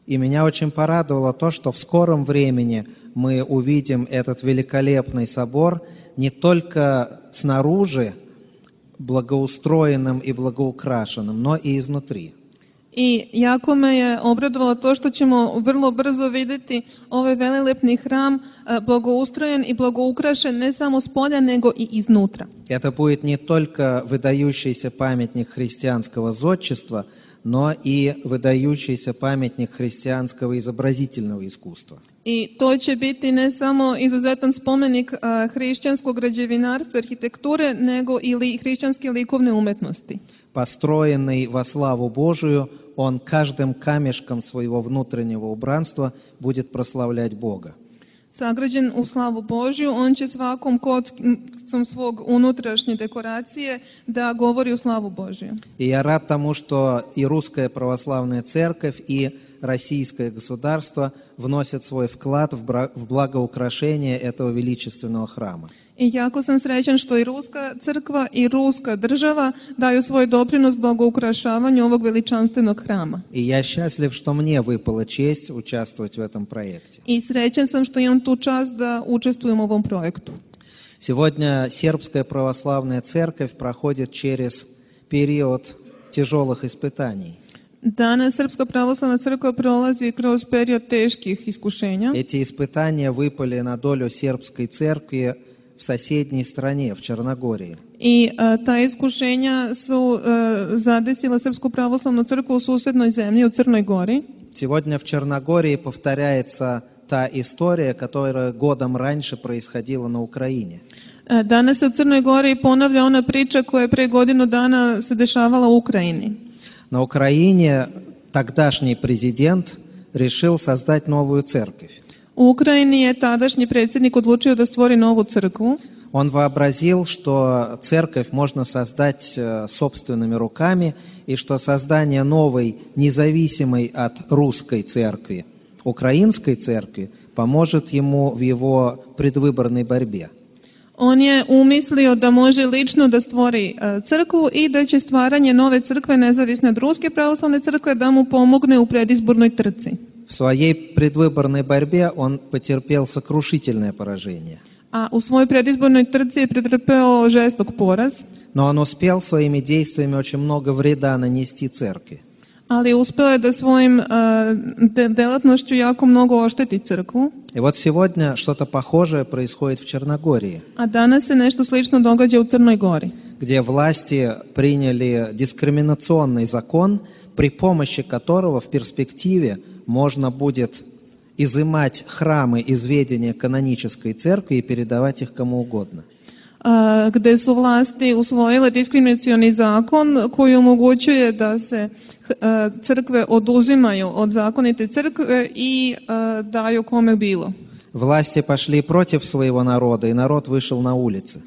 И меня очень порадовало то, что в скором времени мы увидим этот великолепный собор, не только снаружи благоустроенным и благоукрашенным, но и изнутри. I jako me je obradovalo to što ćemo vrlo brzo vidjeti ovaj velelepni hram e, blagoustrojen i blagoukrašen ne samo s polja nego i iznutra. Это будет не только выдающийся памятник христианского зодчества, но и выдающийся памятник христианского изобразительного искусства. I to će biti ne samo izuzetan spomenik e, hrišćanskog građevinarstva, arhitekture, nego i li, hrišćanske likovne umetnosti. Построенный во славу Божию, он каждым камешком своего внутреннего убранства будет прославлять Бога. Sagrađen u slavu Božju, on će svakom kockom svog unutrašnje dekoracije da govori u slavu Božju. И я рад тому, что и Русская Православная Церковь, и Российское государство вносят свой вклад в благоукрашение этого величественного храма. I jako sam srećan što i Ruska crkva i Ruska država daju svoj doprinos blagoukrašavanju ovog veličanstvenog hrama. И я счастлив, что мне выпала честь участвовать в этом проекте. I srećan sam što imam tu čast da učestvujem u ovom projektu. Сегодня Сербская Православная Церковь проходит через период тяжелых испытаний. Danas Srpska pravoslavna crkva prolazi kroz period teških iskušenja. Эти испытания выпали на долю сербской церкви в соседней стране, в Черногории. I a, ta iskušenja su a, zadesila Srpsku pravoslavnu crkvu u susednoj zemlji, u Crnoj Gori. Сегодня в Черногории повторяется та история, которая годом раньше происходила на Украине. A, danas se u Crnoj Gori ponavlja ona priča koja je pre godinu dana se dešavala u Ukrajini. На Украине тогдашний президент решил создать новую церковь. U Ukrajini je tadašnji predsjednik odlučio da stvori novu crkvu. Он вообразил, что церковь можно создать собственными руками, и что создание новой, независимой от русской церкви, украинской церкви, поможет ему в его предвыборной борьбе. On je umislio da može lično da stvori crkvu i da će stvaranje nove crkve nezavisne od Ruske pravoslavne crkve da mu pomogne u predizbornoj trci. В своей предвыборной борьбе он потерпел сокрушительное поражение. A u svojoj predizbornoj trci je pretrpeo žestok poraz. Но он успел своими действиями очень много вреда нанести церкви. Ali uspeo je da svojim de, delatnošću jako mnogo ošteti crkvu. И вот сегодня что-то похожее происходит в Черногории. A danas se nešto slično događa u Crnoj Gori. Где власти приняли дискриминационный закон, при помощи которого в перспективе можно будет изымать храмы из ведения канонической церкви и передавать их кому угодно. A, gde su vlasti usvojile diskriminacioni zakon koji omogućuje da se a, crkve oduzimaju od zakonite crkve i a, daju kome bilo. Власти пошли против своего народа, и народ вышел на улицы.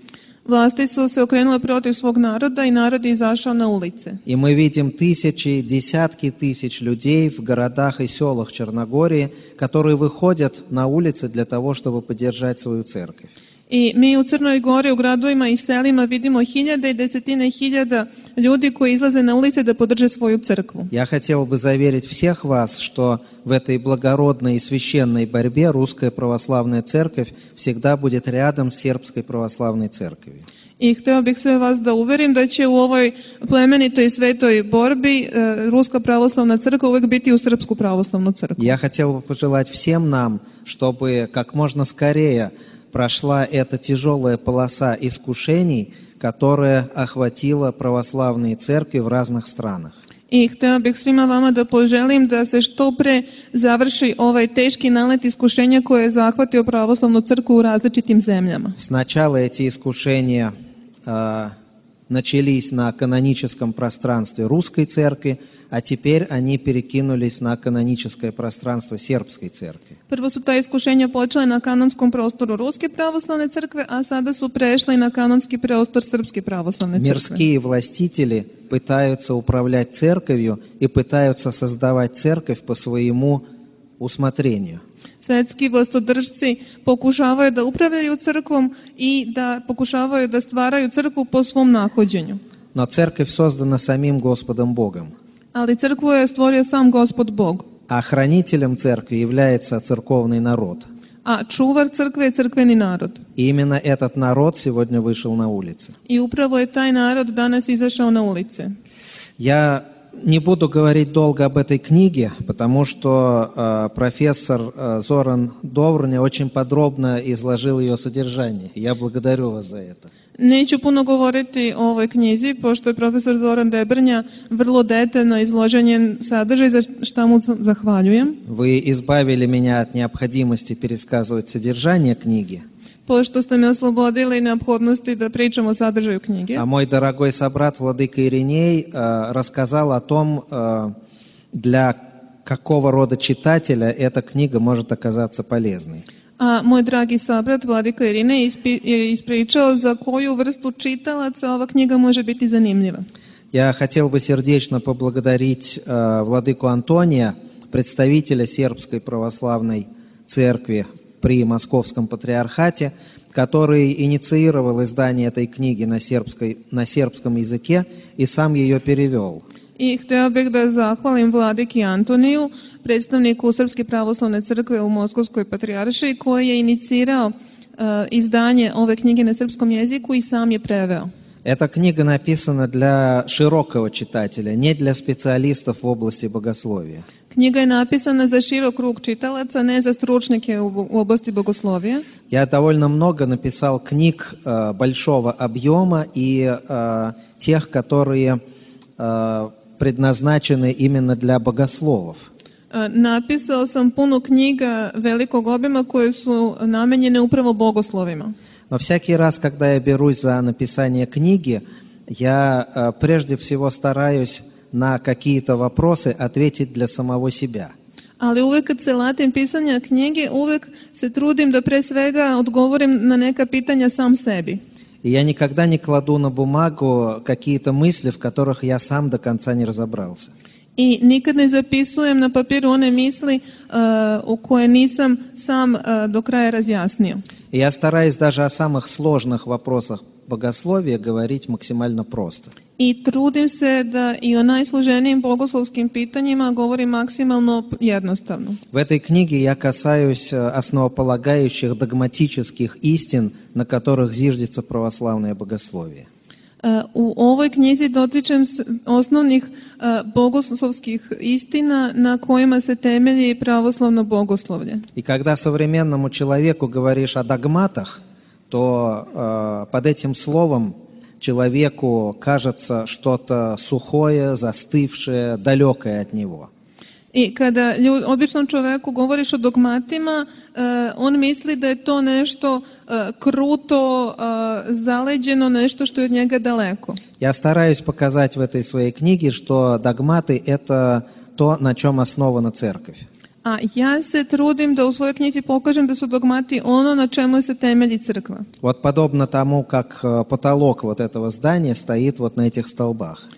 Vlasti su se okrenule protiv svog naroda i narod je izašao na ulice. И мы видим тысячи, десятки тысяч людей в городах и селах Черногории, которые выходят на улицы для того, чтобы поддержать свою церковь. I mi u Crnoj Gori, u gradovima i selima vidimo hiljade i desetine hiljada ljudi koji izlaze na ulice da podrže svoju crkvu. Я хотел бы заверить всех вас, что в этой благородной и священной борьбе Русская Православная Церковь всегда будет рядом с Сербской Православной Церковью. I hteo bih sve vas da uverim da će u ovoj plemenitoj i svetoj borbi Ruska pravoslavna crkva uvek biti u Srpsku pravoslavnu crkvu. Я хотел бы пожелать всем нам, чтобы как можно скорее прошла эта тяжелая полоса искушений, которая охватила православные церкви в разных странах. I hteo bih svima vama da poželim da se što pre završi ovaj teški nalet iskušenja koje je zahvatio pravoslavnu crkvu u različitim zemljama. Сначала эти искушения э, начались на каноническом пространстве русской церкви, а теперь они перекинулись на каноническое пространство сербской церкви. Prvo su ta iskušenja počele na kanonskom prostoru Ruske pravoslavne crkve, a sada su prešle na kanonski prostor Srpske pravoslavne crkve. Мирские властители пытаются управлять церковью и пытаются создавать церковь по своему усмотрению. Svetski vlastodržci pokušavaju da upravljaju crkvom i da pokušavaju da stvaraju crkvu po svom nahođenju. Но церковь создана самим Господом Богом. Ali crkvu je stvorio sam Gospod Bog. А хранителем церкви является церковный народ. a čuvar crkve je crkveni narod. И именно этот народ сегодня вышел на улицы. I upravo je taj narod danas izašao na ulice. Я не буду говорить долго об этой книге, потому что э, профессор э, Зоран Доврня очень подробно изложил ее содержание. Я благодарю вас за это. Neću puno govoriti o ovoj knjizi, pošto je profesor Zoran Debrnja vrlo detaljno izložen njen sadržaj, za što mu zahvaljujem. Вы избавили меня от необходимости пересказывать содержание книги. Pošto ste me oslobodili neophodnosti da pričam o sadržaju knjige. А мой дорогой собрат Владыка Ириней э, рассказал о том, э, для какого рода читателя эта книга может оказаться полезной. A moj dragi sabrat Vladika Irine ispi, je ispričao za koju vrstu čitalaca ova knjiga može biti zanimljiva. Я хотел бы сердечно поблагодарить э, Владыку Антония, представителя Сербской православной церкви при Московском патриархате, который инициировал издание этой книги на, сербской, на сербском языке и сам ее перевел. I hteo bih da zahvalim Vladiki Antoniju, predstavniku Srpske pravoslavne crkve u Moskovskoj patrijaršiji, koji je inicirao uh, izdanje ove knjige na srpskom jeziku i sam je preveo. Эта книга написана для широкого читателя, не для специалистов в области богословия. Knjiga je napisana za širok krug čitalaca, ne za stručnjake u oblasti bogoslovija. Я довольно много написал книг э, большого объема и э, тех, которые э, предназначены именно для богословов. Napisao sam puno knjiga velikog obima koje su namenjene upravo bogoslovima. Но всякий раз, когда я берусь за написание книги, я э, прежде всего стараюсь на какие-то вопросы ответить для самого себя. Ali uvek kad se latim pisanja knjige, uvek se trudim da pre svega odgovorim na neka pitanja sam sebi. И я никогда не кладу на бумагу какие-то мысли, в которых я сам до конца не разобрался. I nikad ne zapisujem na papiru one misli uh, u koje nisam sam uh, do kraja razjasnio. И я стараюсь даже о самых сложных вопросах богословия говорить максимально просто. I trudim se da i o najsloženijim bogoslovskim pitanjima govorim maksimalno jednostavno. В этой книге я касаюсь основополагающих догматических истин, на которых зиждется православное богословие. U ovoj knjizi dotičem se osnovnih uh, bogoslovskih istina na kojima se temelji pravoslavno bogoslovlje. И когда современному человеку говоришь о догматах, то э, под этим словом человеку кажется что-то сухое, застывшее, далекое от него. I kada ljud, običnom čoveku govoriš o dogmatima, uh, on misli da je to nešto uh, kruto, uh, zaleđeno, nešto što je od njega daleko. Я стараюсь показать в этой своей книге, что догматы – это то, на чем основана церковь. A ja se trudim da u svojoj knjizi pokažem da su dogmati ono na čemu se temelji crkva. Вот подобно тому, как потолок вот этого здания стоит вот на этих столбах.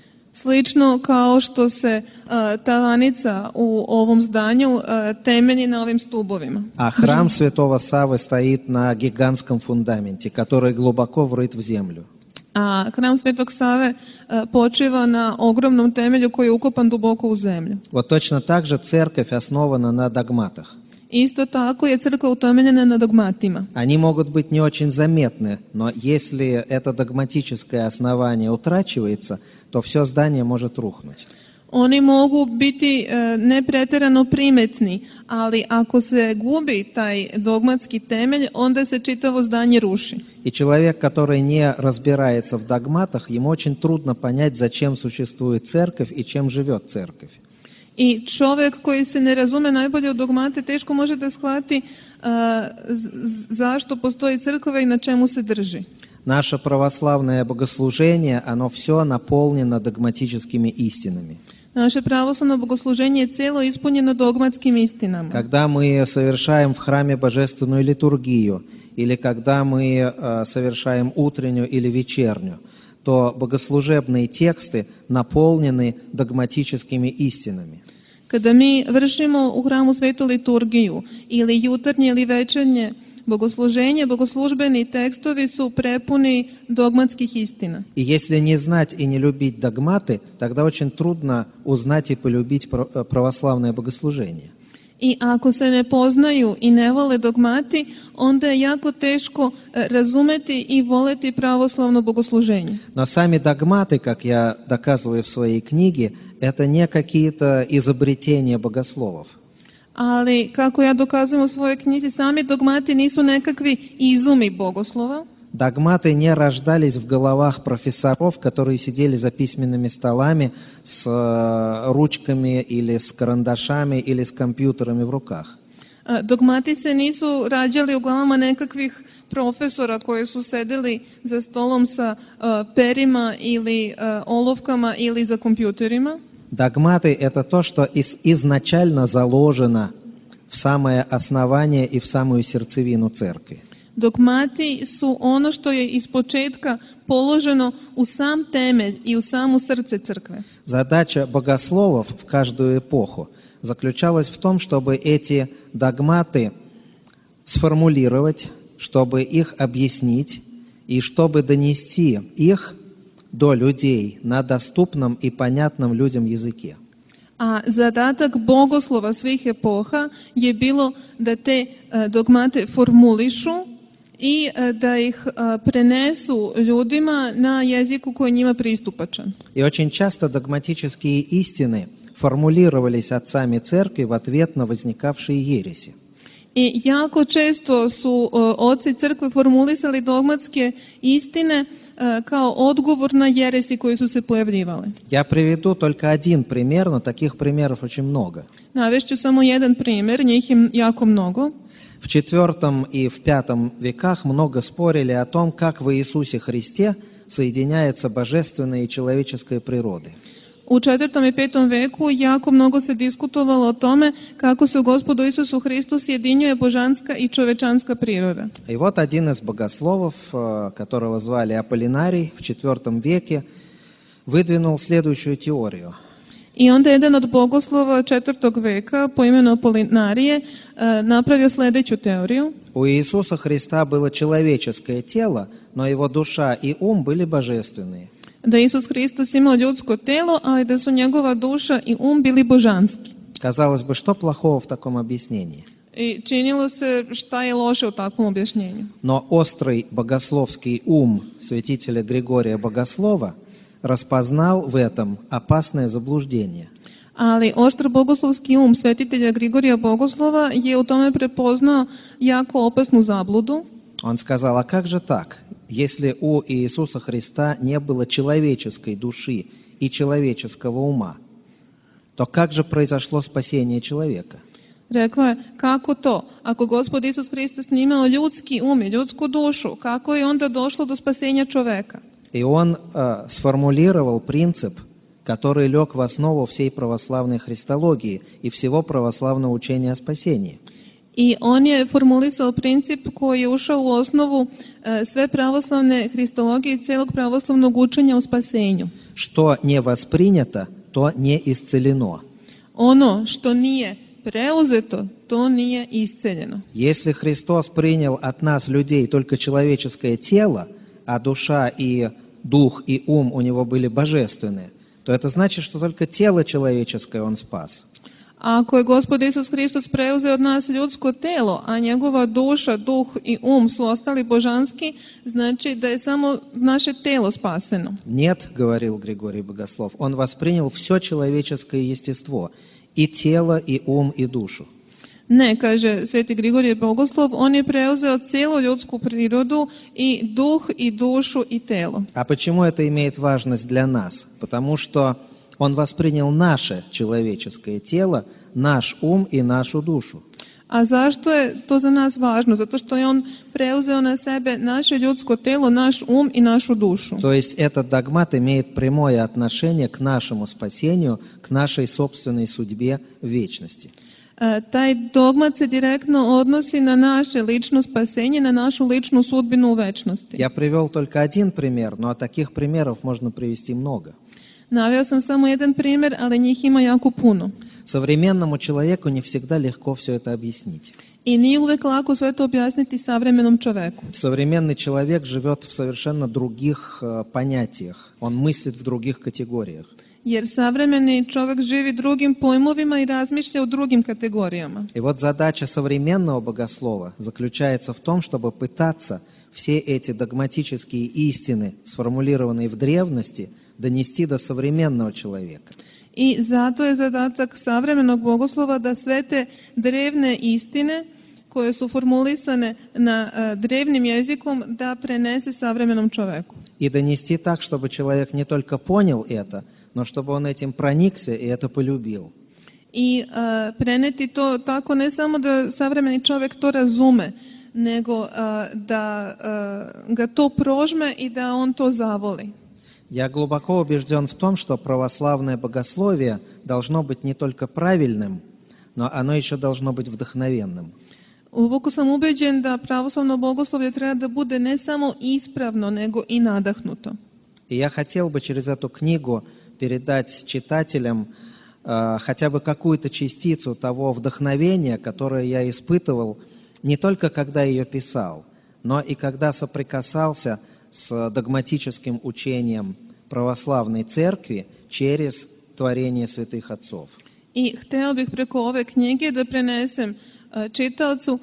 Slično kao što se uh, tavanica u ovom zdanju uh, temelji na ovim stubovima. А храм Святого Саввы стоит на гигантском фундаменте, который глубоко врыт в землю. A hram Svetog Save uh, počiva na ogromnom temelju koji je ukopan duboko u zemlju. Вот точно так же церковь основана на догматах. Isto tako je crkva utemeljena na dogmatima. Они могут быть не очень заметны, но если это догматическое основание утрачивается, то все здание может рухнуть. Oni mogu biti e, ne pretjerano primetni, ali ako se gubi taj dogmatski temelj, onda se čitavo zdanje ruši. И человек, который не разбирается в догматах, ему очень трудно понять, зачем существует церковь и чем живет церковь. I čovjek koji se ne razume najbolje u dogmate teško može da shvati uh, zašto postoji crkva i na čemu se drži. Наше православное богослужение, оно все наполнено догматическими истинами. Naše pravoslavno bogosluženje je celo ispunjeno dogmatskim istinama. Когда мы совершаем в храме божественную литургию, или когда мы э, совершаем утреннюю или вечернюю, то богослужебные тексты наполнены догматическими истинами. Kada mi vršimo u hramu svetu liturgiju ili jutarnje ili večernje bogosluženje, bogoslužbeni tekstovi su prepuni dogmatskih istina. И если не знать и не любить догматы, тогда очень трудно узнать и полюбить православное богослужение. I ako se ne poznaju i ne vole dogmati, onda je jako teško e, razumeti i voleti pravoslavno bogosluženje. Но сами догматы, как я доказываю в своей книге, это не какие-то изобретения богословов. Ali, kako ja dokazujem u svojoj knjizi, sami dogmati nisu nekakvi izumi bogoslova. Догматы не рождались в головах профессоров, которые сидели за письменными столами с э, ручками или с карандашами или с компьютерами в руках. E, Dogmati se nisu rađali u glavama nekakvih profesora koji su sedeli za stolom sa e, perima ili e, olovkama ili za kompjuterima. Догматы – это то, что из- изначально заложено в самое основание и в самую сердцевину церкви. Dogmati su ono što je iz početka položeno u sam temelj i u samu srce crkve. Задача богословов в каждую эпоху заключалась в том, чтобы эти догматы сформулировать, чтобы их объяснить и чтобы донести их до людей на доступном и понятном людям языке. A zadatak bogoslova svih epoha je bilo da te e, dogmate formulišu i e, da ih e, prenesu ljudima na jeziku koji je njima pristupačan. И очень часто догматические истины формулировались отцами церкви в ответ на возникавшие ереси. I jako često su e, oci crkve formulisali dogmatske istine e, kao odgovor na jeresi koji su se pojavljivale. Я приведу только один пример, но таких примеров очень много. Navešću samo jedan primjer, njih je jako mnogo. В четвертом и в пятом веках много спорили о том, как в Иисусе Христе соединяется божественная и человеческая природы. U četvrtom i petom veku jako mnogo se diskutovalo o tome kako se u Gospodu Isusu Hristu sjedinjuje božanska i čovečanska priroda. И вот один из богословов, э, которого звали Аполлинарий, в четвертом веке выдвинул следующую теорию. I onda jedan od bogoslova četvrtog veka po imenu Apolinarije e, napravio sljedeću teoriju. У Иисуса Христа было человеческое тело, но его душа и ум были божественные. Da je Isus Hristos imao ljudsko telo, ali da su njegova duša i um bili božanski. Казалось бы, что плохого в таком объяснении? I činilo se šta je loše u takvom objašnjenju. Но острый богословский ум святителя Григория Богослова распознал в этом опасное заблуждение. Ali oštro bogoslovski um svetitelja Grigorija Bogoslova je u tome prepoznao jako opasnu zabludu. Он сказал, а как же так, если у Иисуса Христа не было человеческой души и человеческого ума, то как же произошло спасение человека? Rekao je, kako to? Ako Gospod Isus Hristos nije imao ljudski um i ljudsku dušu, kako je onda došlo do spasenja čoveka? И он э, сформулировал принцип, который лег в основу всей православной христологии и всего православного учения о спасении. I on je formulisao princip koji je ušao u osnovu e, sve pravoslavne hristologije i cijelog pravoslavnog učenja o spasenju. Что не воспринято, то не исцелено. Ono što nije preuzeto, to nije isceljeno. Если Христос принял от нас, людей, только человеческое тело, а душа и дух и ум у него были божественные, то это значит, что только тело человеческое он спас. Ako je Gospod Isus Hristos preuzeo od nas ljudsko telo, a njegova duša, duh i um su ostali božanski, znači da je samo naše telo spaseno. Нет, говорил Григорий Богослов, он воспринял все человеческое естество, и тело, и ум, и душу. Ne, kaže sveti Grigorije Bogoslov, on je preuzeo cijelu ljudsku prirodu i duh i dušu i telo. А почему это имеет важность для нас? Потому что он воспринял наше человеческое тело, наш ум и нашу душу. A zašto je to za nas važno? Zato što je on preuzeo na sebe naše ljudsko telo, naš um i našu dušu. То есть этот догмат имеет прямое отношение к нашему спасению, к нашей собственной судьбе в вечности. E, taj dogmat se direktno odnosi na naše lično spasenje, na našu ličnu sudbinu u večnosti. Я привел только один пример, но таких примеров можно привести много. Naveo sam samo jedan primjer, ali njih ima jako puno. Современному человеку не всегда легко все это объяснить. I nije uvek lako sve to objasniti savremenom čoveku. Современный человек живет в совершенно других э, понятиях, он мыслит в других категориях. jer savremeni čovjek živi drugim pojmovima i razmišlja u drugim kategorijama. И вот задача современного богослова заключается в том, чтобы пытаться все эти догматические истины, сформулированные в древности, донести до современного человека. I zato je zadatak savremenog bogoslova da sve te drevne istine koje su formulisane na uh, drevnim jezikom da prenese savremenom čoveku. И донести так, чтобы человек не только понял это, но чтобы он этим проникся и это полюбил. I uh, preneti to tako ne samo da savremeni čovjek to razume, nego uh, da uh, ga to prožme i da on to zavoli. Я глубоко убежден в том, что православное богословие должно быть не только правильным, но оно еще должно быть вдохновенным. Uvoko sam ubeđen da pravoslavno bogoslovlje treba da bude ne samo ispravno, nego i nadahnuto. И я хотел бы через эту книгу передать читателям э, хотя бы какую-то частицу того вдохновения, которое я испытывал не только когда ее писал, но и когда соприкасался с догматическим учением православной церкви через творение святых отцов. I hteo bih preko ove knjige da prenesem čitaocu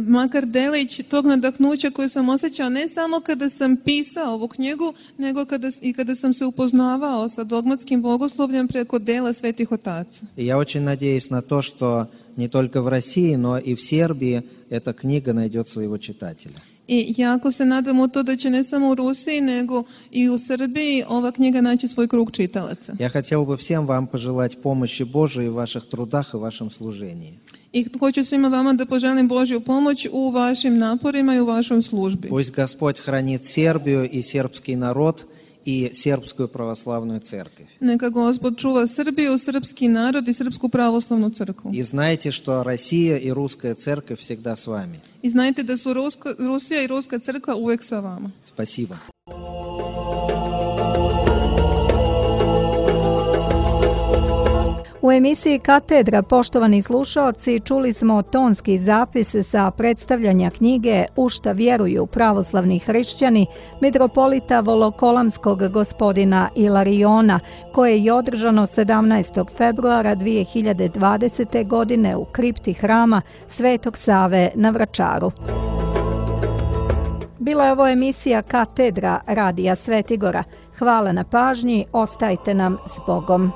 makar delić tog nadahnuća koje sam osjećao ne samo kada sam pisao ovu knjigu, nego kada, i kada sam se upoznavao sa dogmatskim bogoslovljem preko dela svetih otaca. И я очень надеюсь на то, что не только в России, но и в Сербии эта книга найдет своего читателя. I jako se nadam u to da će ne samo u Rusiji, nego i u Srbiji ova knjiga naći svoj krug čitalaca. Я хотел бы всем вам пожелать помощи Божией в ваших трудах и в вашем служении. I hoću svima vama da poželim Božju pomoć u vašim naporima i u vašoj službi. Пусть Господь хранит Сербию и сербский народ и сербскую православную церковь. Neka Gospod čuva Srbiju, srpski narod i srpsku pravoslavnu crkvu. И знайте, что Россия и русская церковь всегда с вами. I znajte da su Ruska, Rusija i ruska crkva uvek sa vama. Спасибо. U emisiji Katedra, poštovani slušaoci, čuli smo tonski zapis sa predstavljanja knjige U šta vjeruju pravoslavni hrišćani mitropolita Volokolamskog gospodina Ilariona, koje je održano sedamnaestog februara dvije hiljade dvadesete. godine u kripti hrama Svetog Save na Vračaru. Bila je ovo emisija Katedra Radija Svetigora. Hvala na pažnji, ostajte nam s Bogom.